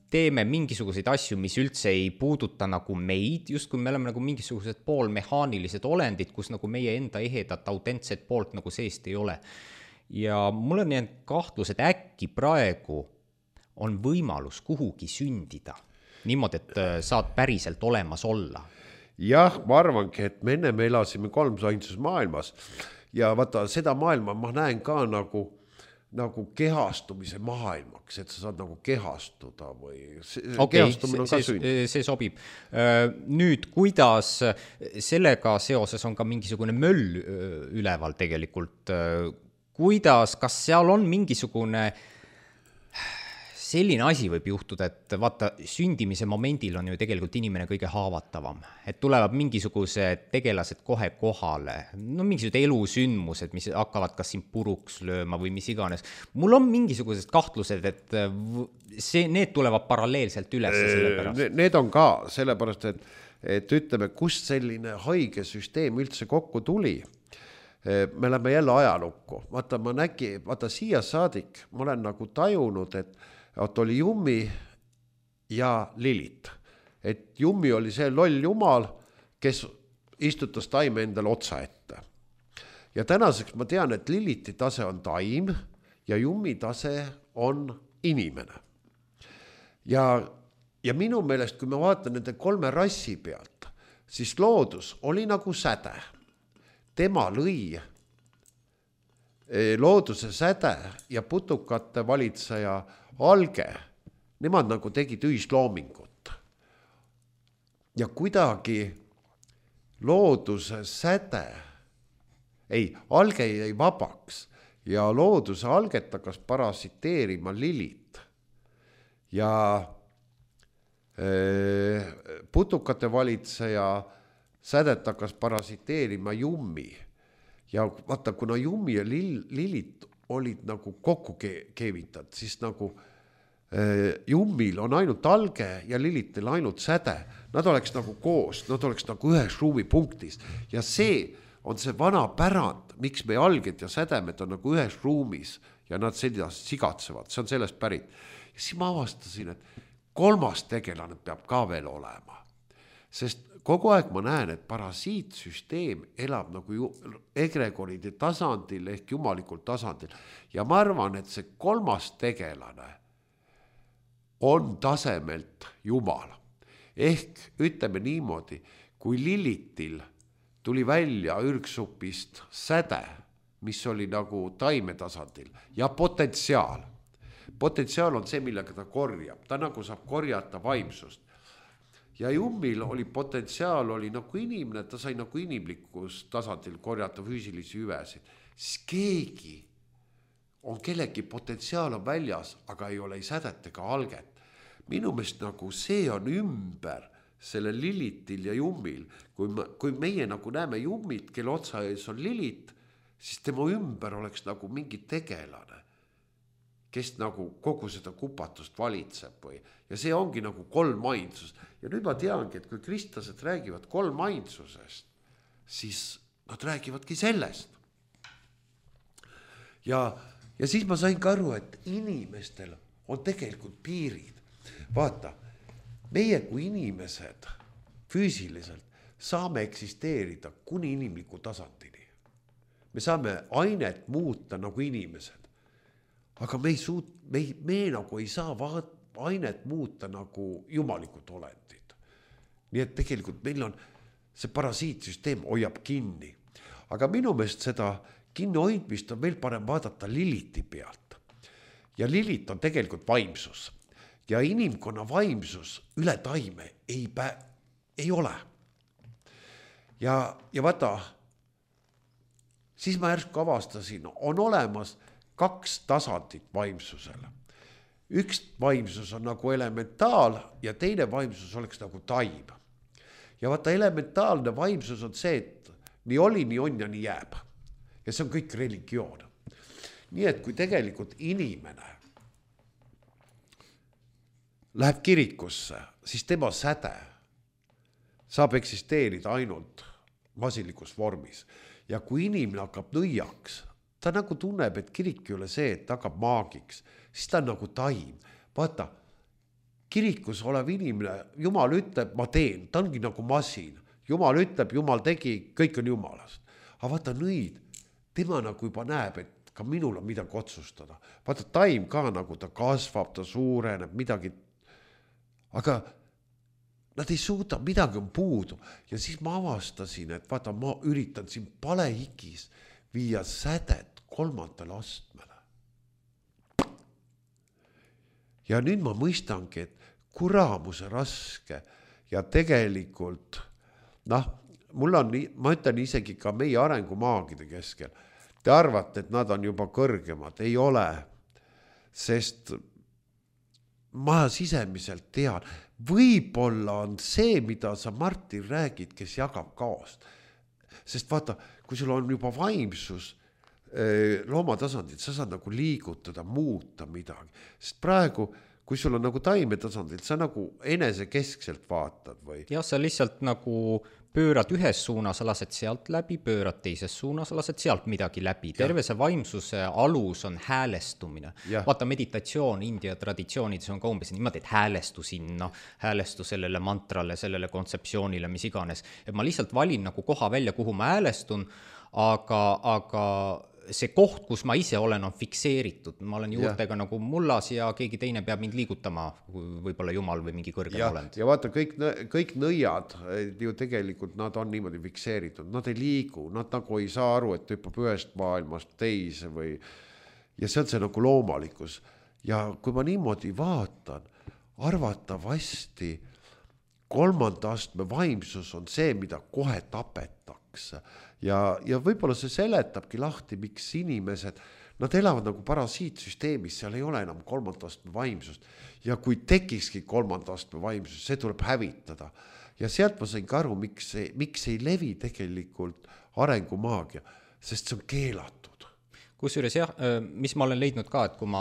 teeme mingisuguseid asju, mis üldse ei puuduta nagu meid, just kui me oleme nagu mingisugused poolmehaanilised olendid, kus nagu meie enda ehedat autentset poolt nagu seest ei ole. Ja mul on jäänud kahtlus, et äkki praegu on võimalus kuhugi sündida, niimoodi, et saad päriselt olemas olla. Jah, ma arvangi, et me enne me elasime kolmsainsus maailmas ja vaata, seda maailma ma näen ka nagu, nagu kehastumise maailmaks, et sa saad nagu kehastuda või okay, kehastumine on ka sünd. See sobib. Nüüd, kuidas sellega seoses on ka mingisugune möll üleval tegelikult, kuidas, kas seal on mingisugune selline asi võib juhtuda, et vaata, sündimise momendil on ju tegelikult inimene kõige haavatavam. Et tulevad mingisugused tegelased kohe kohale, no mingisugused elusündmused, mis hakkavad kas siin puruks lööma või mis iganes. Mul on mingisugused kahtlused, et see, need tulevad paralleelselt üles sellepärast. Need on ka sellepärast, et, et ütleme, kust selline haige süsteem üldse kokku tuli. Me oleme jälle ajalukku. Vaata, ma nägi, vaata siia saadik, ma olen nagu tajunud, et et oli Jummi ja Lilit. Et Jummi oli see loll jumal, kes istutas taime endale otsa ette. Ja tänaseks ma tean, et Liliti tase on taim ja Jummi tase on inimene. Ja, ja minu meelest, kui me vaatan nende kolme rassi pealt, siis loodus oli nagu säde. Tema lõi looduse säde ja putukate valitseja alge, nemad nagu tegid ühisloomingut. Ja kuidagi looduse säde, ei, alge jäi vabaks ja looduse alget hakkas parasiteerima Lilit. Ja putukate valitseja sädet hakkas parasiteerima Jummi ja vaata, kuna Jummi ja lill, lillit olid nagu kokku keevitad, siis nagu äh, Jummil on ainult alge ja lillitil ainult säde. Nad oleks nagu koos, nad oleks nagu ühes ruumipunktis ja see on see vana pärand, miks meie alged ja sädemed on nagu ühes ruumis ja nad seda sigatsevad, see on sellest pärit. Ja siis ma avastasin, et kolmas tegelane peab ka veel olema, sest kogu aeg ma näen, et parasiitsüsteem elab nagu ju, egregoride tasandil ehk jumalikul tasandil ja ma arvan, et see kolmas tegelane on tasemelt Jumal. Ehk ütleme niimoodi, kui Lillitil tuli välja ürgsupist säde, mis oli nagu taime tasandil ja potentsiaal. Potentsiaal on see, millega ta korjab. Ta nagu saab korjata vaimsust. Ja Jummil oli potentsiaal, oli nagu inimene, ta sai nagu inimlikus tasandil korjata füüsilisi hüvesid. Siis keegi on kellegi potentsiaal on väljas, aga ei ole ei sädet ega alget. Minu meelest nagu see on ümber selle Lillitil ja Jummil. Kui, ma, kui meie nagu näeme Jummit, kelle otsa ees on Lillit, siis tema ümber oleks nagu mingi tegelane, kes nagu kogu seda kupatust valitseb või. Ja see ongi nagu kolmainsus. Ja nüüd ma teangi, et kui kristlased räägivad kolmainsusest, siis nad räägivadki sellest. Ja, ja siis ma sain ka aru, et inimestel on tegelikult piirid. Vaata, meie kui inimesed füüsiliselt saame eksisteerida kuni inimliku tasandini. Me saame ainet muuta nagu inimesed. Aga me, ei suut, me, me nagu ei saa vaat, ainet muuta nagu jumalikud olendid. Nii et tegelikult meil on see parasiitsüsteem hoiab kinni. Aga minu meelest seda kinni hoidmist on veel parem vaadata Lilliti pealt. Ja Lillit on tegelikult vaimsus. Ja inimkonna vaimsus üle taime ei, pä, ei ole. Ja, ja vaata, siis ma järsku avastasin, on olemas kaks tasandit vaimsusele. Üks vaimsus on nagu elementaal ja teine vaimsus oleks nagu taim. Ja vaata, elementaalne vaimsus on see, et nii oli, nii on ja nii jääb. Ja see on kõik religioon. Nii et kui tegelikult inimene läheb kirikusse, siis tema säde saab eksisteerida ainult masilikus vormis. Ja kui inimene hakkab nõiaks, ta nagu tunneb, et kirik ei ole see, et ta hakkab maagiks, siis ta on nagu taim. Vaata, kirikus olev inimene, Jumal ütleb, ma teen, ta ongi nagu masin. Jumal ütleb, Jumal tegi, kõik on Jumalast. Aga vaata nõid, tema nagu juba näeb, et ka minul on midagi otsustada. Vaata, taim ka nagu ta kasvab, ta suureneb, midagi. Aga nad ei suuda, midagi on puudu. Ja siis ma avastasin, et vaata, ma üritan siin palehikis viia sädet kolmandale astmele. Ja nüüd ma mõistangi, et kuramuse raske ja tegelikult, noh, mul on, ma ütlen isegi ka meie arengumaagide keskel, te arvate, et nad on juba kõrgemad, ei ole, sest ma sisemiselt tean, võib-olla on see, mida sa Martin räägid, kes jagab kaost. Sest vaata, kui sul on juba vaimsus loomatasandil, sa saad nagu liigutada, muuta midagi. Sest praegu, kui sul on nagu taime tasandil, sa nagu enesekeskselt vaatad või? Ja sa lihtsalt nagu pöörad ühes suunas, lased sealt läbi, pöörad teises suunas, lased sealt midagi läbi. Terve see vaimsuse alus on häälestumine. Ja. Vaata, meditatsioon India traditsioonides on ka umbes niimoodi, et häälestu sinna, häälestu sellele mantrale, sellele kontseptsioonile, mis iganes. Et ma lihtsalt valin nagu koha välja, kuhu ma häälestun, aga, aga see koht, kus ma ise olen, on fikseeritud. Ma olen juurtega ja. Nagu mullas ja keegi teine peab mind liigutama, võib-olla Jumal või mingi kõrgem ja, olend. Ja vaata, kõik, kõik nõiad ju tegelikult nad on niimoodi fikseeritud. Nad ei liigu, nad nagu ei saa aru, et hüppab ühest maailmast teise või... Ja see on see nagu loomalikkus. Ja kui ma niimoodi vaatan, arvatavasti kolmanda astme vaimsus on see, mida kohe tapetakse. Ja, ja võib-olla see seletabki lahti, miks inimesed nad elavad nagu parasiitsüsteemis, seal ei ole enam kolmanda astme vaimsust. Ja kui tekikski kolmanda astme vaimsus, see tuleb hävitada. Ja sealt ma sain ka aru, miks, miks ei levi tegelikult arengumaagia, sest see on keelatud. Kusjuures jah, mis ma olen leidnud ka, et kui ma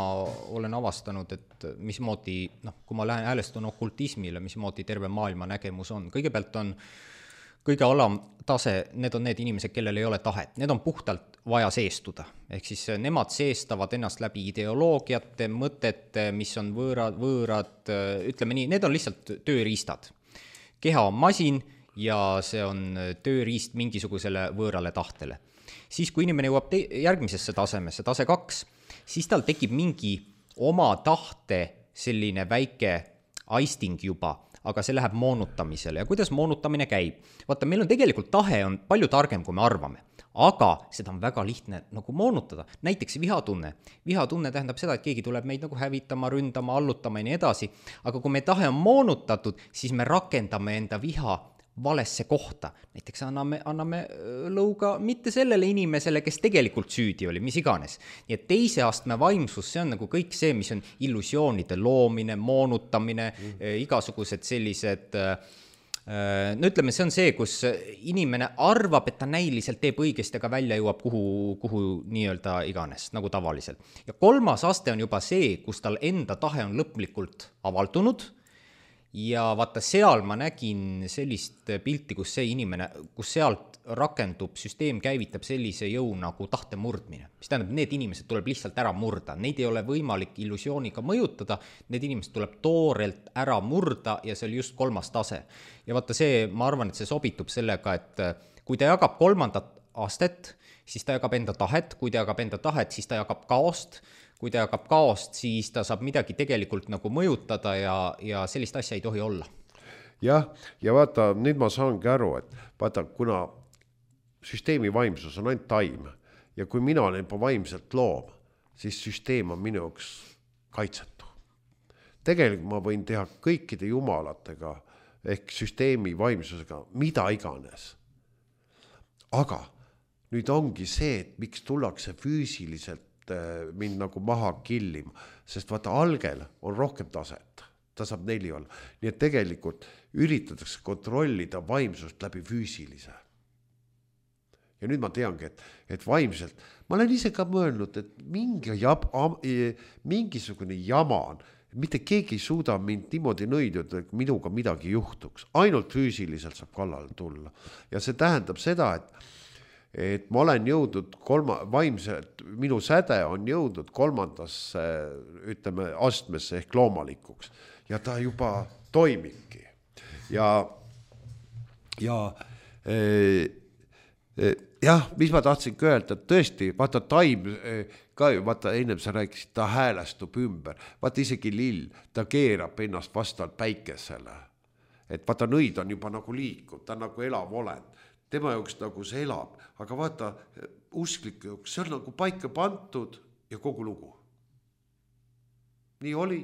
olen avastanud, et mismoodi, noh, kui ma lähen häälestun okultismile, mismoodi terve maailma nägemus on. Kõigepealt on kõige alam tase, need on need inimesed, kellel ei ole tahet. Need on puhtalt vaja seestuda. Ehk siis nemad seestavad ennast läbi ideoloogiate, mõtete, mis on võõrad, võõrad, ütleme nii, need on lihtsalt tööriistad. Keha on masin ja see on tööriist mingisugusele võõrale tahtele. Siis kui inimene jõuab te- järgmisesse tasemesse, tase kaks, siis tal tekib mingi oma tahte selline väike aisting juba, aga see läheb moonutamisele. Ja kuidas moonutamine käib? Vaata, meil on tegelikult tahe on palju targem, kui me arvame, aga seda on väga lihtne nagu moonutada. Näiteks vihatunne. Vihatunne tähendab seda, et keegi tuleb meid nagu hävitama, ründama, allutama ja nii edasi, aga kui me tahe on moonutatud, siis me rakendame enda viha valesse kohta. Näiteks anname, anname lõuga mitte sellele inimesele, kes tegelikult süüdi oli, mis iganes. Nii et teise astme vaimsus, see on nagu kõik see, mis on illusioonide loomine, moonutamine, mm. igasugused sellised, no ütleme, see on see, kus inimene arvab, et ta näiliselt teeb õigesti, aga välja jõuab kuhu, kuhu nii-öelda iganes, nagu tavaliselt. Ja kolmas aste on juba see, kus tal enda tahe on lõplikult avaldunud. Ja vaata, seal ma nägin sellist pilti, kus see inimene, kus sealt rakendub, süsteem käivitab sellise jõu nagu tahte murdmine. Mis tähendab, need inimesed tuleb lihtsalt ära murda. Neid ei ole võimalik illusiooniga mõjutada, need inimesed tuleb toorelt ära murda ja see oli just kolmas tase. Ja vaata see, ma arvan, et see sobitub sellega, et kui ta jagab kolmandat astet, siis ta jagab enda tahet, kui ta jagab enda tahet, siis ta jagab kaost, kui ta jagab kaost, siis ta saab midagi tegelikult nagu mõjutada ja, ja sellist asja ei tohi olla. Jah, ja vaata, nüüd ma saangi aru, et vaata, kuna süsteemi vaimsus on ainult taim ja kui mina olen juba vaimselt loom, siis süsteem on minu jaoks kaitsetu. Tegelikult ma võin teha kõikide jumalatega ehk süsteemi vaimsusega mida iganes. Aga nüüd ongi see, et miks tullakse füüsiliselt mind nagu maha killima, sest vaata algel on rohkem taset, ta saab neli olla. Nii et tegelikult üritatakse kontrollida vaimsust läbi füüsilise. Ja nüüd ma teangi, et, et vaimselt, ma olen ise ka mõelnud, et mingi jab, mingisugune jama on, mitte keegi ei suuda mind niimoodi nõiduda, et minuga midagi juhtuks. Ainult füüsiliselt saab kallale tulla. Ja see tähendab seda, et et ma olen jõudnud kolma, vaimselt, minu säde on jõudnud kolmandasse, ütleme, astmesse ehk loomalikuks. Ja ta juba toimibki. Ja, ja eh, eh, jah, mis ma tahtsin öelda, et tõesti, vaata taim, eh, ka ju, vaata ennem sa rääkisid, ta häälestub ümber. Vaata isegi lill, ta keerab ennast vastavalt päikesele. Et vaata nõid on juba nagu liikuv, ta on nagu elav olend. Tema jaoks nagu see elab, aga vaata, uskliku jaoks, see on nagu paika pantud ja kogu lugu. Nii oli,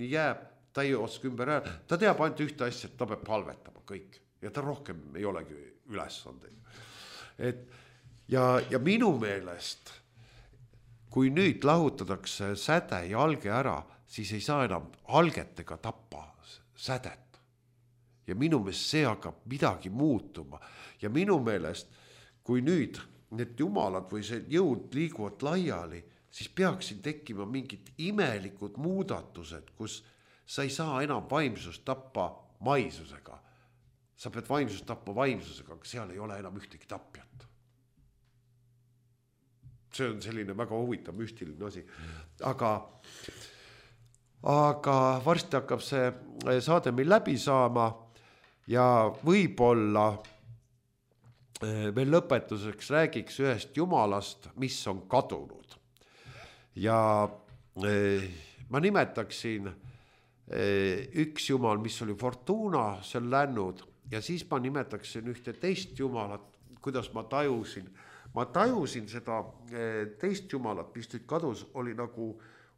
nii jääb, ta ei oska ümber ära, ta teab ainult ühte asja, et ta peab palvetama kõik ja ta rohkem ei olegi ülesandega. Et ja, ja minu meelest, kui nüüd lahutatakse säde ja alge ära, siis ei saa enam algetega tappa sädet. Ja minu meelest see hakkab midagi muutuma. Ja minu meelest, kui nüüd need jumalad või see jõud liiguvad laiali, siis peaksid tekkima mingid imelikud muudatused, kus sa ei saa enam vaimsust tappa maisusega. Sa pead vaimsust tappa vaimsusega, aga seal ei ole enam ühtegi tapjat. See on selline väga huvitav müstiline asi. Aga, aga varsti hakkab see saade meil läbi saama. Ja võib-olla veel lõpetuseks räägiks ühest jumalast, mis on kadunud. Ja ma nimetaksin üks jumal, mis oli Fortuna, see on lännud, ja siis ma nimetaksin ühte teist jumalat, kuidas ma tajusin. Ma tajusin seda teist jumalat, mis nüüd kadus, oli nagu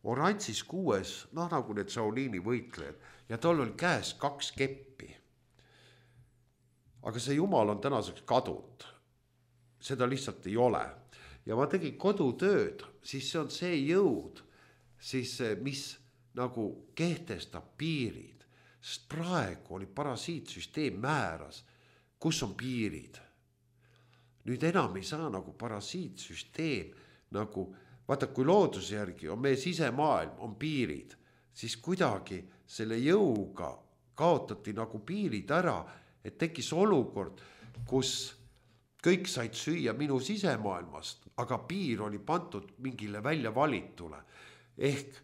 oranžis kuues, noh nagu need Shaolini võitlejad, ja tal oli käes kaks keppi. Aga see jumal on tänaseks kadunud. Seda lihtsalt ei ole. ja ma tegin kodutööd, siis see on see jõud, siis mis nagu kehtestab piirid, sest praegu oli parasiitsüsteem määras, kus on piirid. Nüüd enam ei saa nagu parasiitsüsteem nagu, vaata kui looduse järgi on meie sisemaailm, on piirid, siis kuidagi selle jõuga kaotati nagu piirid ära, et tekkis olukord, kus kõik said süüa minu sisemaailmast, aga piir oli pandud mingile välja valitule. Ehk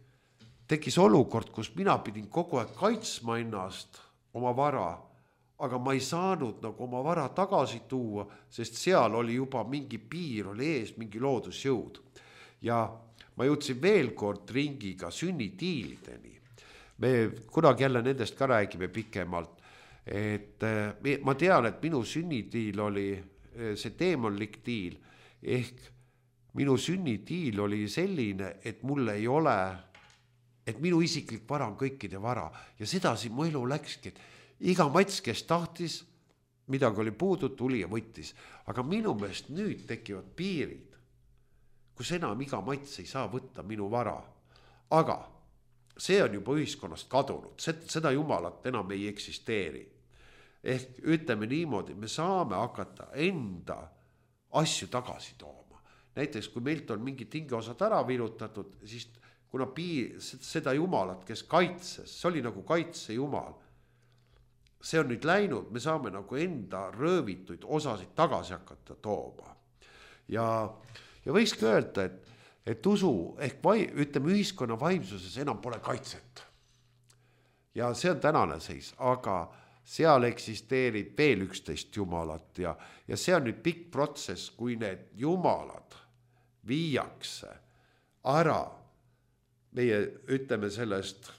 tekkis olukord, kus mina pidin kogu aeg kaitsma ennast oma vara, aga ma ei saanud nagu oma vara tagasi tuua, sest seal oli juba mingi piir, oli ees mingi loodusjõud. Ja ma jõudsin veel kord ringiga sünnitiilideni. Me kunagi jälle nendest ka räägime pikemalt, et ma tean, et minu sünnitiil oli see teemonlik tiil, ehk minu sünnitiil oli selline, et mul ei ole, et minu isiklik vara on kõikide vara ja sedasi mu elu läkski, et iga mats, kes tahtis, midagi oli puudu, tuli ja võttis, aga minu meelest nüüd tekivad piirid, kus enam iga mats ei saa võtta minu vara, aga see on juba ühiskonnast kadunud, seda jumalat enam ei eksisteeri. Ehk ütleme niimoodi, me saame hakata enda asju tagasi tooma. Näiteks kui meilt on mingi tingiosad ära virutatud, siis kuna piir, seda jumalat, kes kaitses, see oli nagu kaitse jumal, see on nüüd läinud, me saame nagu enda röövituid osasid tagasi hakata tooma. Ja, ja võikski öelda, et et usu ehk vai, ütleme ühiskonna vaimsuses enam pole kaitset. Ja see on tänane seis, aga seal eksisteerib veel üksteist jumalat ja, ja see on nüüd pikk protsess, kui need jumalad viiakse ära meie, ütleme sellest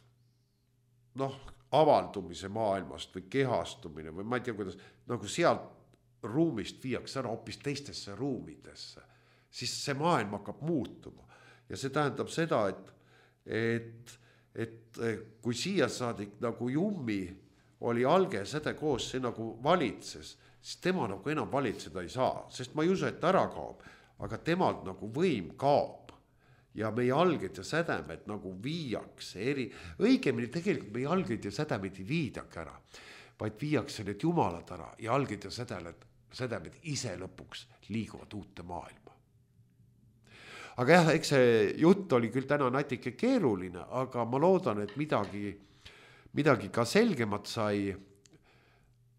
noh, avaldumise maailmast või kehastumine või ma ei tea, kuidas, nagu sealt ruumist viiakse ära hoopis teistesse ruumidesse, siis see maailm hakkab muutuma. Ja see tähendab seda, et, et, et kui siia saadik nagu Jummi oli alge säde koos, see nagu valitses, siis tema nagu enam valitseda ei saa, sest ma ei usu, et ära kaob, aga temalt nagu võim kaob. Ja meie alged ja sädemed nagu viiakse eri, õigemini tegelikult meie alged ja sädemed ei viidagi ära, vaid viiakse need jumalad ära ja alged ja sädemed, sädemed ise lõpuks liiguvad uute maailma. Aga jah, eks see jutt oli küll täna natuke keeruline, aga ma loodan, et midagi, midagi ka selgemat sai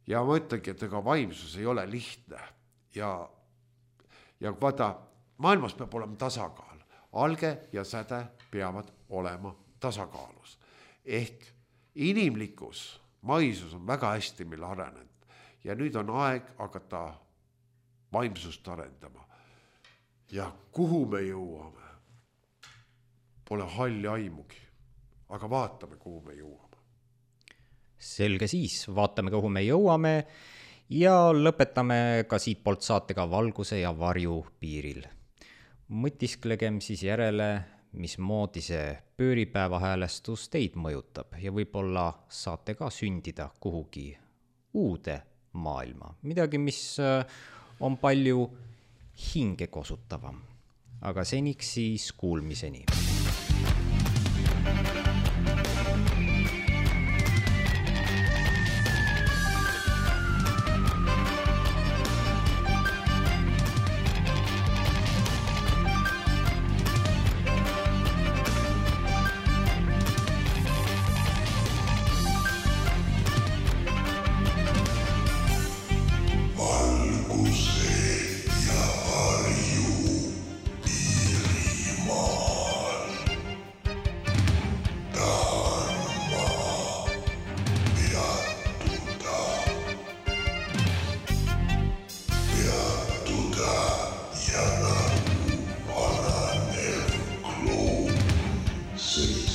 ja ma ütlengi, et ega vaimsus ei ole lihtne ja, ja vaata, maailmas peab olema tasakaal, alge ja säde peavad olema tasakaalus ehk inimlikkus, maisus on väga hästi meil arenenud ja nüüd on aeg hakata vaimsust arendama. Ja kuhu me jõuame? Pole halli aimugi, aga vaatame, kuhu me jõuame. Selge siis, vaatame, kuhu me jõuame ja lõpetame ka siit poolt saatega valguse ja varju piiril. Mõtisklegem siis järele, mismoodi see pööripäeva häälestus teid mõjutab ja võib-olla saate ka sündida kuhugi uude maailma. Midagi, mis on palju hinge kosutavam, aga seniks siis kuulmiseni. City.